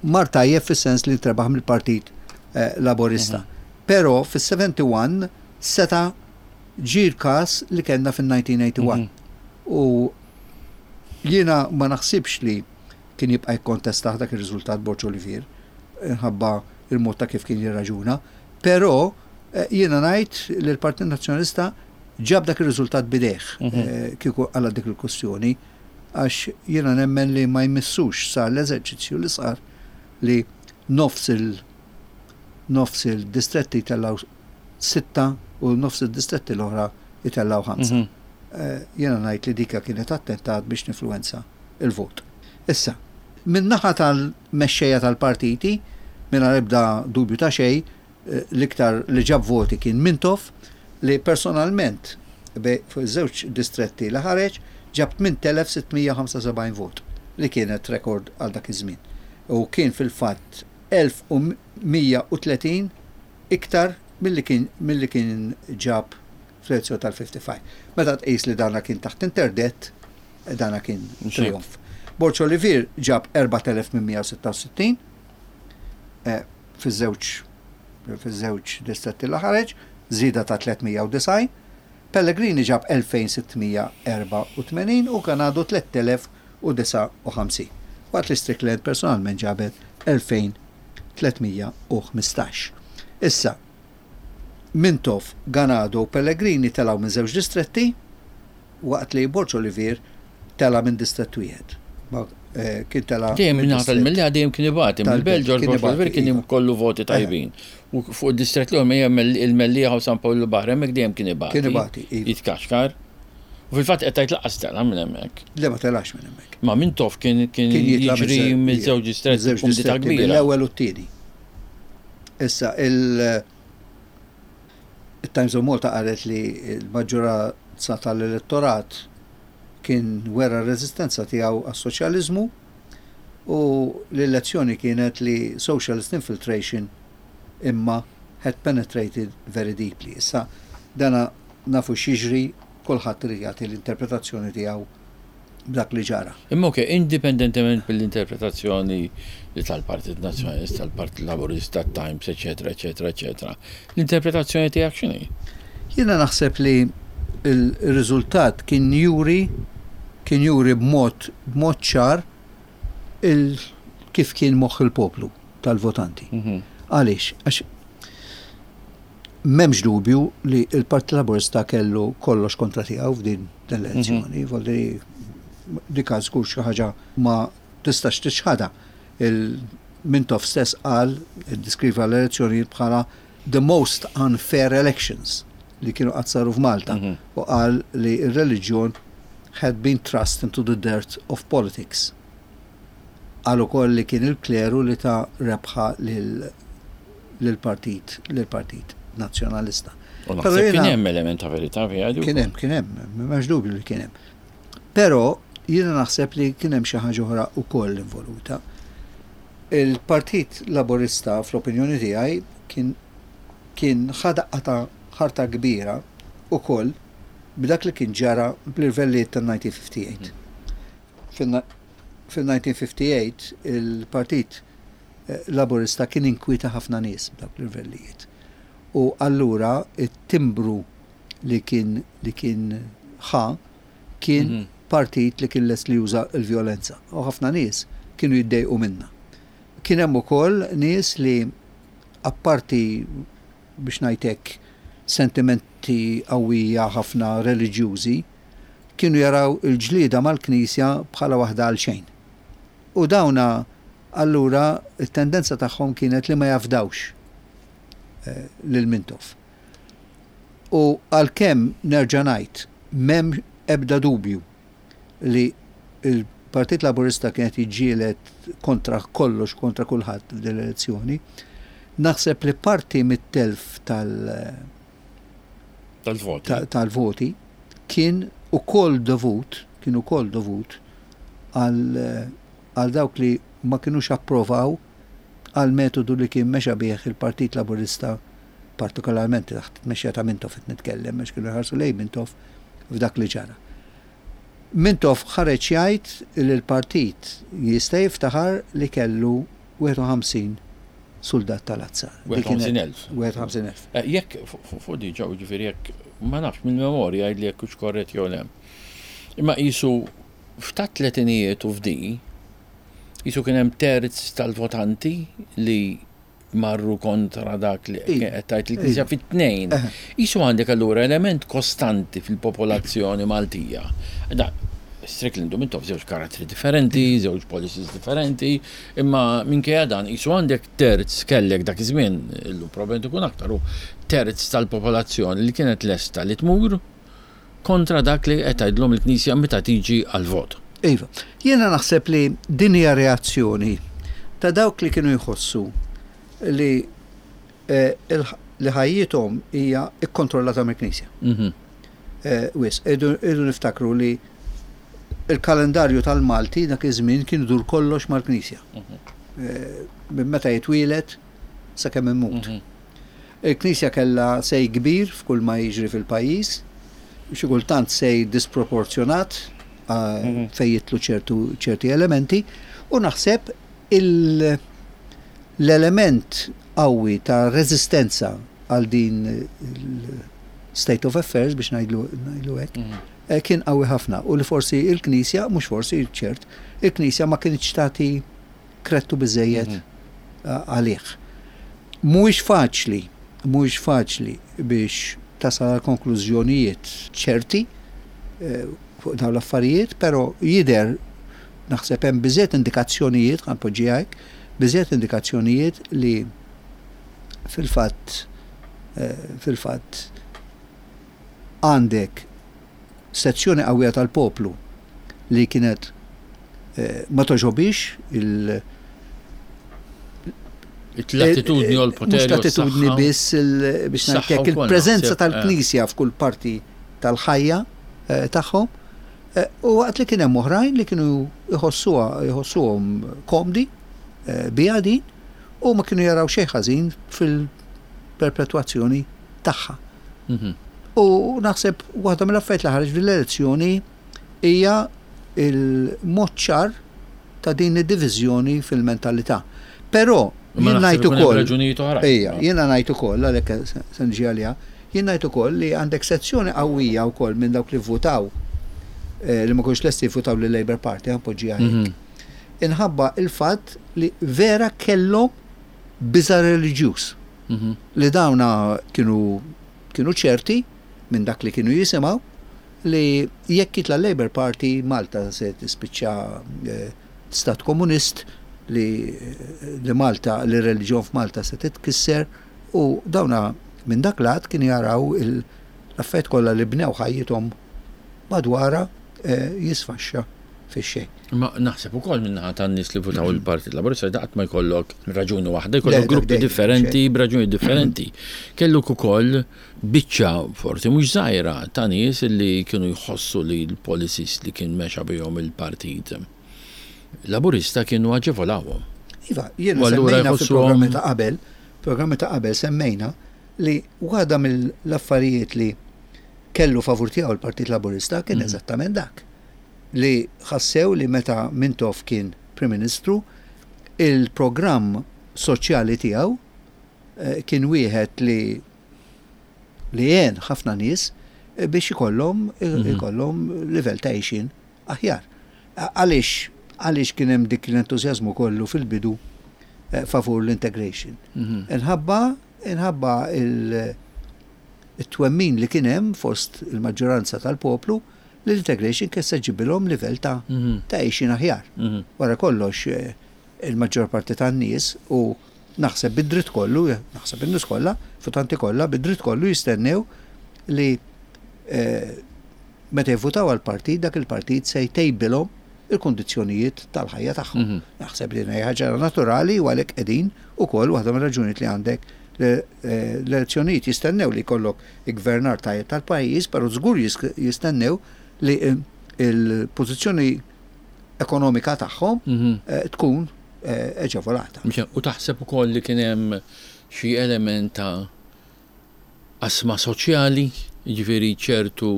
Speaker 2: mar tajjeb fis-sens li trebaħ mill-Partit eh, Laborista.
Speaker 1: Mhm.
Speaker 2: Però fis-wieħed u sebgħin seta' ġie l-każ li kellna fil-elf disa' mija u wieħed u tmenin.
Speaker 1: Mhm.
Speaker 2: U jiena ma naħsibx li kien jibqa' jikkontesta dak ir-riżultat Borg Olivier inħabba il-mod ta' kif kien jirraġuna, però eh, jiena ngħid li l-Partit Nazzjonalista ġab dak ir-riżultat b'idejh
Speaker 1: Mhm.
Speaker 2: eh, kieku għala dik il-kwestjoni, għax jiena nemmen li ma jmissux sar l-eżerċizzju li sar li nofs il nofs il-distretti tellaw sitta u nofs il-distretti l-oħra jitellaw ħamsa.
Speaker 1: Mhm.
Speaker 2: Eh, Jiena ngħid li dika kienet attentat biex ninfluwenza il-vot. Issa, min-naħa tal-mexxejja tal-partiti, mingħajr ebda dubju ta' xejn, eh, l-iktar li ġab voti kien Mintoff, li personalment be- fuq żewġ distretti li ħareġ ġab tmien telef sitt mija ħamsa u sebgħin vot, li kienet rekord għal dak iż-żmien. U kien fil-fatt elf u mija u tletin iktar milli kien milli kien ġab fl-elezzjoni tal-ħamsa u ħamsin. Meta tqis li dana kien taħt interdett, dana kien trionf. Borg Olivier ġab erbat elef tmien mija u sitta u sittin eh, fiż-żewġ fiż-żewġ distretti li ħareġ, żieda ta' tliet mija u disgħin. Pellegrini ġab elfejn sitt mija erbgħa u tmenin u Ganado tliet elef u disgħa u ħamsin. Waqt li Strickland personalment ġabet elfejn tliet mija u ħmistax. Issa, Mintoff, Ganado u Pellegrini telaw minn żewġ distretti, waqt li Borg Olivier tela minn distrett wieħed. Ma, eh, Kien tela
Speaker 1: Dejjem
Speaker 2: minn
Speaker 1: minn
Speaker 2: distrett
Speaker 1: tal-Mellieħa dejjem kien ibati, mill-Belt George
Speaker 2: kien
Speaker 1: Borg Olivier kien
Speaker 2: ibati, iva.
Speaker 1: kollu voti tajbin. U fuq id-distrett li hija il-Mellieħa u San Pawl il-Baħar, hemmhekk dejjem kien ibati.
Speaker 2: Kien ibati, iva.
Speaker 1: Jitkaxkar. U fil-fatt qed tgħid lanqas tela minn hemmhekk.
Speaker 2: Le, ma telax minn hemmhekk.
Speaker 1: Ma Mintoff kien kien
Speaker 2: Kien jitla'
Speaker 1: jiġri miż-żewġ distretti
Speaker 2: miż-żewġ
Speaker 1: kumdità
Speaker 2: distretti,
Speaker 1: kbira.
Speaker 2: mill-ewwel u t-tieni. Issa, il- il-Times of Malta qalet li l-maġġoranza tal-elettorat kien wera r-reżistenza tiegħu għas-soċjaliżmu u l-elezzjoni kienet li socialist infiltration imma had penetrated very deeply. Issa, dana nafu x'jiġri, kulħadd irid jagħti l-interpretazzjoni tiegħu b'dak li ġara.
Speaker 1: Imma ok, indipendentement mill-interpretazzjoni li tal-Partit Nazzjonalista, tal-Partit Laburista, Times, eccetera, eccetera, eccetera. L-interpretazzjoni tiegħek x'inhi?
Speaker 2: Jiena naħseb li il-riżultat kien juri kien juri b'mod b'mod ċar il kif kien moħħ il-poplu tal-votanti.
Speaker 1: Mhm.
Speaker 2: Għaliex? Għax m'hemmx dubju li il-Partit Laburista kellu kollox kontra tiegħu f'din l-elezzjoni. Volli dik żgur xi ħaġa ma tistax tiċħadha. Il-Mintoff stess qal, iddeskriva l-elezzjoni bħala the most unfair elections li kienu qatt saru f'Malta
Speaker 1: Mhm.
Speaker 2: u qal li il-reliġjon had been thrust into the dirt of politics. Qal ukoll li kien il-kleru li ta rebħa lil lill-partit lill-Partit Nazzjonalista.
Speaker 1: U
Speaker 2: Però
Speaker 1: naħseb kien
Speaker 2: jiena-
Speaker 1: hemm element ta' verità fiha di
Speaker 2: Kien hemm, kien hemm, m'hemmx dubju li kien hemm. Però jiena naħseb li kien hemm xi ħaġa oħra wkoll involuta. Il-Partit Laburista, fl-opinjoni tiegħi, kien kien ħa daqqa ta' ħarta kbira ukoll b'dak li kien ġara bl-irvellijiet tan-elf disa' mija u ħamsa u ħamsin. Fil-elf disa' mija u ħamsa u ħamsin il-Partit eh, Laburista kien inkwita ħafna nies b'dawk l-irvellijiet. U allura it-timbru li kien li kien ħa kien
Speaker 1: Mhm.
Speaker 2: partit li kien lest li juża l-vjolenza. U ħafna nies kienu jiddejqu minna. Kien hemm ukoll nies li, apparti, biex ngħidlek, sentimenti qawwija ħafna reliġjużi, kienu jaraw il-ġlieda mal-Knisja bħala waħda għal xejn. U dawna allura it-tendenza tagħhom kienet li ma jafdawx eh, lil Mintoff. U għalkemm nerġa' ngħid m'hemm ebda dubju li il-Partit Laburista kienet jiġġieled kontra kollox, kontra kulħadd f'din l-elezzjoni, naħseb li parti mit-telf tal-
Speaker 1: Tal-voti.
Speaker 2: ta- tal-voti kien ukoll dovut, kien ukoll dovut għal għal dawk li ma kienux approvaw għal metodu li kien mexa bih il-Partit Laburista, partikolarment taħt tmexxija ta' Mintoff qed nitkellem, għax kienu jħarsu lejn Mintoff f'dak li ġara. Mintoff ħareġ jgħid li l-partit jista' jiftaħar li kellu wieħed u ħamsin soldat tal-azzar. Dik kienet-
Speaker 1: wieħed u ħamsin elf.
Speaker 2: wieħed u ħamsin elf.
Speaker 1: Eh, Jekk fuq diġà, ġifieri jekk ma nafx mill-memorja li jekk hux korrett jew le. Imma qisu f'ta' tletinijiet u f'di, qisu kien hemm terz tal-votanti li marru kontra dak li
Speaker 2: Iva.
Speaker 1: qed tgħid il-Knisja
Speaker 2: Iva.
Speaker 1: fit-tnejn.
Speaker 2: Eħe.
Speaker 1: Qisu għandek allura element kostanti fil-popolazzjoni Maltija. Da, Strickland u Mintoff żewġ karattri differenti, żewġ policies differenti, imma minkejja dan qisu għandek terz, kellek dak iż-żmien, illum probabbilment ikun aktar, u terz tal-popolazzjoni li kienet lesta li tmur kontra dak li qed tgħidlhom il-Knisja meta tiġi għal-vot.
Speaker 2: Iva, jiena naħseb li din hija reazzjoni ta' dawk li kienu jħossu li eh, il- li ħajjithom hija ikkontrollata mill-Knisja.
Speaker 1: Mhm.
Speaker 2: Eh, Wis, irridu irridu niftakru li il-kalendarju tal-Malti dak iż-żmien kien idur kollox mal-Knisja. eh, minn meta jitwieled sakemm imut. Il-Knisja kellha say kbir f'kull ma jiġri fil-pajjiż, xi kultant say disproporzjonat eh, fejn jidħlu ċertu ċerti elementi, u naħseb il- l-element qawwi ta' reżistenza għal din il-state of affairs, biex ngħidlu ngħidlu hekk, eh, kien qawwi ħafna u li forsi il-Knisja, mhux forsi, ċert, il-Knisja ma kinitx tagħti kredtu biżejjed eh, għalih. Mhuwiex faċli, mhuwiex faċli biex tasal għal konklużjonijiet ċerti eh, fuq dawn l-affarijiet, però jidher, naħseb hemm biżejjed indikazzjonijiet, ħa npoġġiha hekk, biżejjed indikazzjonijiet li fil-fatt eh, fil-fatt għandek sezzjoni qawwija tal-poplu li kienet eh, ma togħġobhiex il-
Speaker 1: L-attitudni u l-poteri.
Speaker 2: Mhux l-attitudni biss, il- biex
Speaker 1: Saħħa
Speaker 2: ngħidlek,
Speaker 1: wkoll,
Speaker 2: il-preżenza
Speaker 1: naħseb, eh.
Speaker 2: tal-Knisja f'kull parti tal-ħajja eh, tagħhom. Eh, U waqt li kien hemm oħrajn li kienu jħossuha jħossuhom komdi eh, biha din u ma kienu jaraw xejn ħażin fil-perpetwazzjoni tagħha.
Speaker 1: Mhm.
Speaker 2: U naħseb waħda mill-affarijiet li ħareġ fil-elezzjoni hija il-mod ċar ta' din id-diviżjoni fil-mentalità. Però
Speaker 1: Ma
Speaker 2: jien
Speaker 1: naħseb
Speaker 2: ngħid
Speaker 1: ikun hemm
Speaker 2: ukoll
Speaker 1: raġunijiet oħrajn.
Speaker 2: Ejja, jiena ngħid ukoll, għalhekk se se niġi għaliha, jien ngħid ukoll li għandek sezzjoni qawwija wkoll minn dawk li votaw eh, li ma kinux lesti jivvutaw lil Labour Party, ħa npoġġiha hekk.
Speaker 1: Mhm.
Speaker 2: Inħabba il-fatt li vera kellhom biża' reliġjuż
Speaker 1: Mhm.
Speaker 2: li dawna kienu kienu ċerti minn dak li kienu jisimgħu li jekk jitla Labour Party, Malta se tispiċċa eh, stat komunist, li, li Malta, li reliġjon f'Malta se titkisser, u dawna minn dak lat kienu jaraw il- l-affarijiet kollha li bnew ħajjithom madwara eh, jisfaxxa fix-xejn.
Speaker 1: Ma naħseb ukoll min-naħa tan-nies li votaw il-Partit Laburista, daqt ma jkollok raġuni waħda,
Speaker 2: Le,
Speaker 1: jkollok
Speaker 2: dak
Speaker 1: gruppi
Speaker 2: dejjem,
Speaker 1: differenti b'raġuni differenti. Kelluk ukoll biċċa forsi mhux żgħira ta' nies li kienu jħossu li l-policies li kien mexa bihom il-Partit Laburista kienu aġevolawhom.
Speaker 2: Iva, jiena
Speaker 1: U allura
Speaker 2: semmejna
Speaker 1: jħossuhom-
Speaker 2: fil-programmi ta' qabel, programmi ta' qabel semmejna li waħda mill-affarijiet li kellu favur tiegħu l-Partit Laburista kien eżattament dak. Li ħassew li meta Mintoff kien Prim Ministru, il-programm soċjali tiegħu eh, kien wieħed li li għen ħafna nies eh, biex ikollhom ikollhom livell ta' għixien aħjar. A- Għaliex għaliex kien hemm dik l-entużjażmu kollu fil-bidu eh, favur l-integration? Inħabba inħabba il- it-twemmin li kien hemm fost il-maġġoranza tal-poplu li l-integration kien se ġibilhom livell ta' ta' għixien aħjar.
Speaker 1: Mhm.
Speaker 2: Wara kollox eh, il-maġġor parti tan-nies, u naħseb bid-dritt kollu, naħseb in-nies kollha, votanti kollha bid-dritt kollu jistennew li eh, meta jivvutaw għal partit, dak il-partit se jtejbilhom il-kondizzjonijiet tal-ħajja tagħhom.
Speaker 1: Mhm.
Speaker 2: Naħseb li hija ħaġa naturali u għalhekk qegħdin ukoll waħda mir-raġunijiet li għandek le- eh, l-elezzjonijiet, jistennew li jkollok il-gvernar tajjeb tal-pajjiż, però żgur jis- jistennew li eh, il-pożizzjoni ekonomika tagħhom
Speaker 1: Mhm.
Speaker 2: eh, tkun eh, aġevolata.
Speaker 1: Mhux- U taħseb ukoll li kien hemm xi element ta' qasma soċjali, jiġifieri ċertu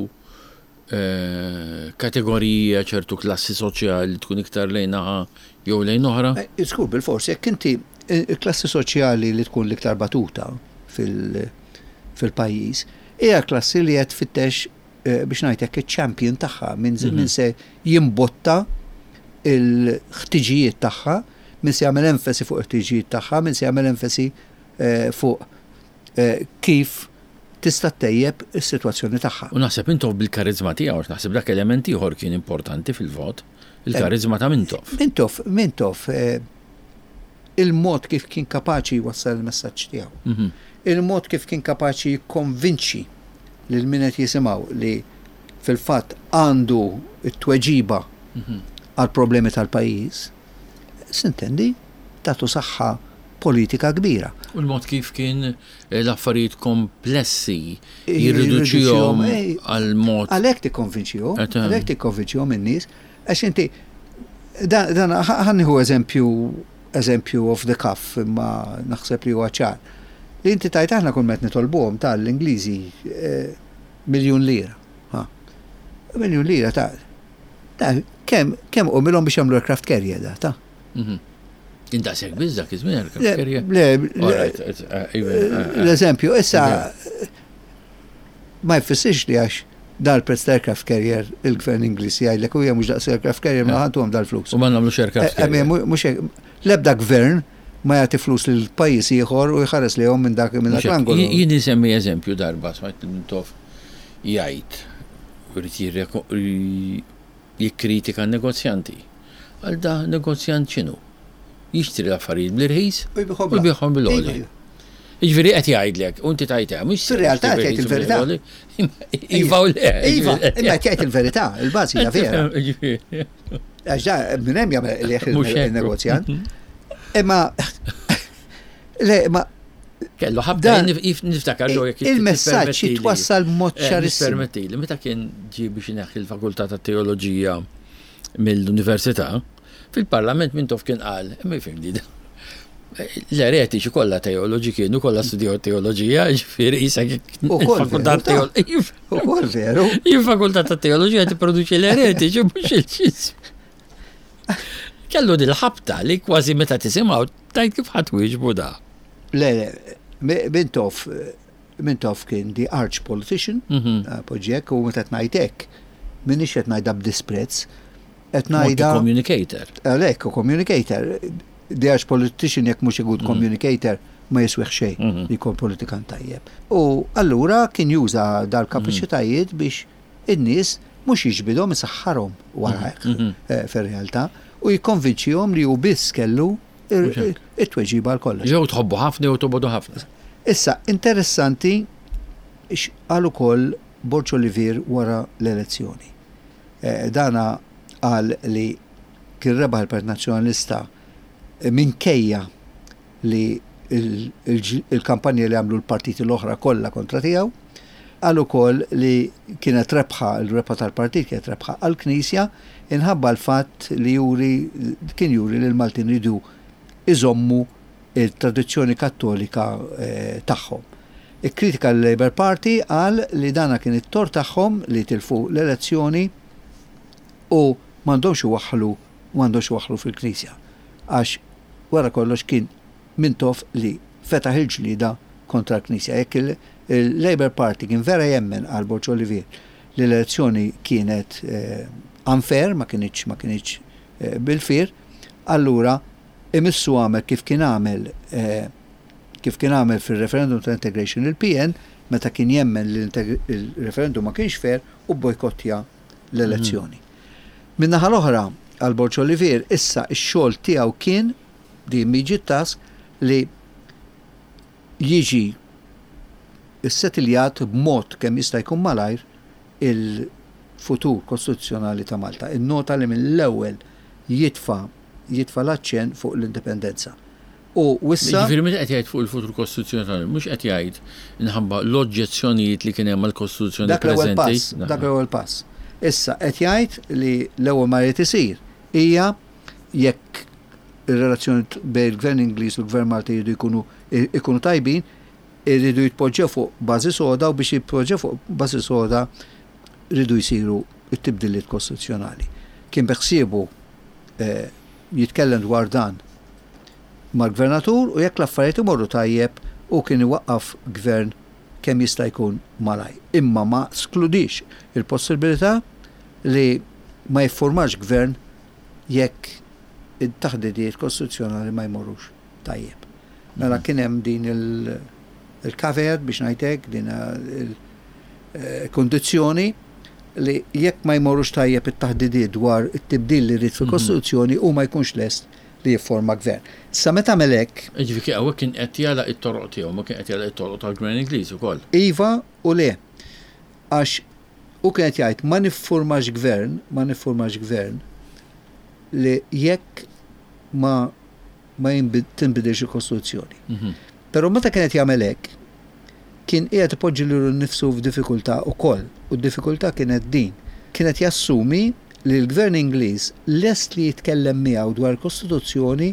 Speaker 1: eh, kategorija, ċertu klassi soċjali tkun iktar lejn naħa jew lejn oħra?
Speaker 2: Eh, Żgur, bil-forsi, jekk inti eh, il-klassi soċjali li tkun l-iktar batuta fil- fil-pajjiż, hija klassi li qed tfittex eh, biex ngħid hekk iċ-champion tagħha, min min se jimbotta il-ħtiġijiet tagħha, min se jagħmel enfasi fuq il-ħtiġijiet tagħha, min se jagħmel enfasi eh, fuq eh, kif tista' ttejjeb is-sitwazzjoni tagħha.
Speaker 1: U naħseb Mintoff bil-karizma tiegħu, għax naħseb dak element ieħor kien importanti fil-vot, il-karizma ta' Mintoff.
Speaker 2: Mintoff, Mintoff, eh, il-mod kif kien kapaċi jwassal il-messaġġ tiegħu.
Speaker 1: Mhm.
Speaker 2: Il-mod kif kien kapaċi jikkonvinċi lil min qed jisimgħu li fil-fatt għandu t-tweġiba għal problemi tal-pajjiż, s'intendi, tatu saħħa politika kbira.
Speaker 1: U l-mod kif kien eh, l-affarijiet komplessi jirriduċihom
Speaker 2: eh,
Speaker 1: għal mod.
Speaker 2: Għalhekk tikkonvinċihom,
Speaker 1: Et, eh.
Speaker 2: għalhekk tikkonvinċihom in-nies, għax inti dan dan ħa nieħu eżempju Eżempju off the cuff, imma naħseb li huwa ċar. Li inti tajt aħna kull met nitolbuhom tal-Ingliżi eh, miljun lira. Ha. Miljun lira ta' ta' kemm kemm qomilhom biex jagħmlu aircraft carrier da ta'
Speaker 1: Mhm. Indaqsek biss dak iż-żmien aircraft
Speaker 2: Le,
Speaker 1: carrier.
Speaker 2: le,
Speaker 1: All right, it's, uh, even, uh, uh,
Speaker 2: l-eżempju, issa ma jfissirx li għax dal-prezz ta' aircraft carrier il-gvern Ingliż jgħidlek u hija mhux daqs aircraft carrier ma ħantuhom dal-flus.
Speaker 1: U ma nagħmlux aircraft
Speaker 2: Eh,
Speaker 1: carrier.
Speaker 2: Mhux hekk, l-ebda gvern ma jagħti flus lil pajjiż ieħor u jħares lejhom minn dak minn dak
Speaker 1: Mhux hekk.
Speaker 2: l-angolu.
Speaker 1: Jien jien insemmi eżempju darba smajt Mintoff jgħid irid jirreko- ri- jikkritika n-negozjanti. Għal da negozjant x'inhu? Jixtri l-affarijiet bl-irħis
Speaker 2: U jbigħhom
Speaker 1: u jbigħhom bil-għoli.
Speaker 2: Iva.
Speaker 1: Jiġifieri qed jgħidlek, u inti tajtha, mhux
Speaker 2: Fir-realtà qed jgħid il-verità.
Speaker 1: Iva u le.
Speaker 2: Iva, imma qed jgħid il-verità, il-bażi hija vera.
Speaker 1: Jiġifieri.
Speaker 2: Għax da minn hemm jagħmel li
Speaker 1: Mhux hekk.
Speaker 2: il-negozjant. Imma le, ma
Speaker 1: Kellu ħabta
Speaker 2: Dan-
Speaker 1: jien nif- niftakar ġo jekk
Speaker 2: il-messaġġ
Speaker 1: tippermettili.
Speaker 2: jitwassal mod
Speaker 1: Eh,
Speaker 2: ċarissimu.
Speaker 1: Permettili, meta kien ġie biex ineħħi l-fakultà ta' teoloġija mill-università, fil-parlament Mintoff kien qal, imma jifhimni da. L-eretiċi kollha teoloġi kienu kollha studjaw teoloġija, ġifieri isek
Speaker 2: Ukoll
Speaker 1: il-fakultà
Speaker 2: veru, ta'
Speaker 1: teoloġija.
Speaker 2: Ukoll veru.
Speaker 1: Il-fakultà ta' teoloġija tipproduċi l-eretiċi mhux il-ċism. Kellu dil-ħabta li kważi meta tisimgħu tajt kif ħadd wieġbu da.
Speaker 2: Le, le, Mi- Mintoff, Mintoff kien the arch politician,
Speaker 1: Mhm.
Speaker 2: poġġek, u meta ngħid hekk, minix qed ngħidha b'disprezz, qed
Speaker 1: Ngħidha
Speaker 2: ngħidha
Speaker 1: communicator.
Speaker 2: għalhekk u communicator. The arch politician jekk mhux a good communicator ma jiswieħ xejn
Speaker 1: Mhm.
Speaker 2: li jkun politikant tajjeb. U allura kien juża dal-kapaċitajiet biex in-nies mhux jiġbidhom isaħħarhom warajh
Speaker 1: Mhm.
Speaker 2: eh, fir-realtà u jikkonvinċihom li hu biss kellu
Speaker 1: Mhux hekk.
Speaker 2: it-tweġiba għal kollox.
Speaker 1: Jew tħobbu ħafna jew tobogħdu ħafna.
Speaker 2: Issa, interessanti x'qal ukoll Borg Olivier wara l-elezzjoni. Eh, Dana qal li kien rebaħ il-Partit Nazzjonalista eh, minkejja li il- il- il-kampanja li għamlu l-partiti l-oħra kollha kontra tiegħu, qal ukoll li kienet rebħa, il-rebħa tal-partit kienet rebħa għall-Knisja inħabba l-fatt li juri kien juri li l-Maltin ridu iżommu il-tradizzjoni kattolika eh, tagħhom. Ikkritika l-Labour Party qal li dana kien it-tort tagħhom li tilfu l-elezzjoni u m'għandhomx iwaħħlu m'għandhomx iwaħħlu fil-Knisja. Għax wara kollox kien Mintoff li fetaħ il-ġlida kontra l-Knisja. Jekk il- il-Labour Party kien vera jemmen għal Borg Olivier li l-elezzjoni kienet eh, unfair, ma kienx ma kienx eh, bil-fair, allura imissu għamel kif kien għamel eh, kif kien għamel fil-referendum ta' integration il-P N meta kien jemmen li il-referendum ma kienx fair u bojkottja l-elezzjoni. Min-naħa l-oħra, għal Borg Olivier, issa x-xogħol tiegħu kien the immediate task li jiġi s-setiljat b'mod kemm jista' jkun malajr il-futur kostituzzjonali ta' Malta. Il-nota li mill-ewwel jitfa jitfa l-aċċen fuq l-indipendenza. U wissa
Speaker 1: Ġifieri meta qed jgħid fuq il-futur kostituzzjonali, mhux qed jgħid inħabba l-oġġezzjonijiet li kien hemm għall-Kostituzzjoni
Speaker 2: dak l-ewwel
Speaker 1: preżenti.
Speaker 2: pass, dak l-ewwel pass. Issa qed jgħid li l-ewwel ma jrid isir hija jekk ir-relazzjoni bejn il-Gvern Ingliż u l-Gvern Malti jridu jkunu ikunu tajbin, irridu jitpoġġew fuq bażi soda u biex jitpoġġew fuq bażi soda rridu jsiru it-tibdiliet kostituzzjonali. Kien beħsiebu eh, jitkellem dwar dan mal-gvernatur u jekk l-affarijiet imorru tajjeb u kien iwaqqaf gvern kemm jista' jkun malaj. Imma ma skludix il-possibilità li ma jiffurmax gvern jekk it-taħdidiet kostituzzjonali ma jmorrux tajjeb. Mela kien hemm din il- il-caveat biex ngħidlek din il-kondizzjoni li jekk ma jmorrux tajjeb it-taħdidiet dwar it-tibdil li rrid fil-Kostituzzjoni u ma jkunx lest li jifforma gvern. Sa meta għamel hekk,
Speaker 1: Ġifieri hawnhekk kien qed jagħlaq it-toroq tiegħu, ma kien qed jagħlaq it-toroq tal-Gvern Ingliż ukoll.
Speaker 2: Iva u le. Għax u kienet jgħid ma niffurmax gvern, ma niffurmax gvern li jekk ma ma jinbid- tinbidilx il-Kostituzzjoni.
Speaker 1: Mhm.
Speaker 2: Però meta kienet jagħmel hekk, kien qiegħed ipoġġi lilu nnifsu f'diffikultà ukoll. U d-diffikultà kienet din. Kienet jassumi li l-gvern Ingliż lest li jitkellem miegħu dwar il-Kostituzzjoni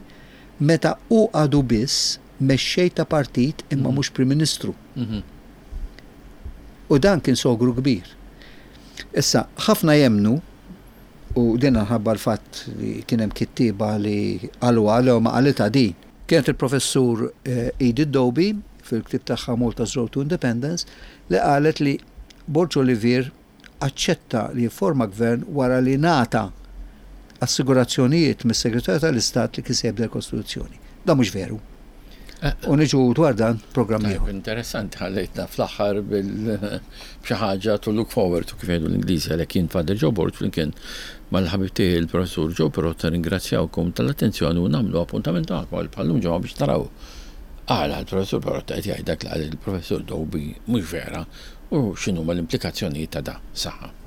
Speaker 2: Meta hu għadu biss mexxej ta' partit imma mhux Prim Ministru.
Speaker 1: Mhm.
Speaker 2: U dan kien sogru kbir. Issa, ħafna jemnu, u din ħabba l-fatt li kien hemm kittiba li qalu għal ma qalitha din. Kienet il-professur eh, Edith Dobie fil-ktib tagħha Malta's Road to Independence li qalet li Borg Olivier aċċetta li jifforma gvern wara li ngħata assigurazzjonijiet mis-Segretarju tal-Istat li kien se jibdel l-Kostituzzjoni. Dan mhux veru.
Speaker 1: Eh.
Speaker 2: U niġu dwar dan programm
Speaker 1: Tajb,
Speaker 2: ieħor.
Speaker 1: interessanti, ħallejtna fl-aħħar bil b'xi ħaġa to look forward to, kif jgħidu l-Ingliżi. Għalhekk jien Father Joe Borg flimkien mal-ħabib tiegħi il-professur Joe Perrotta ringrazzjawkom tal-attenzjoni u nagħmlu appuntament magħkom għal bħallum ġimgħa biex naraw għala l-professur Perrotta qed jgħid dak li qal il-professur Dobie mhux vera u x'inhuma l-implikazzjonijiet ta' da. Saħħa.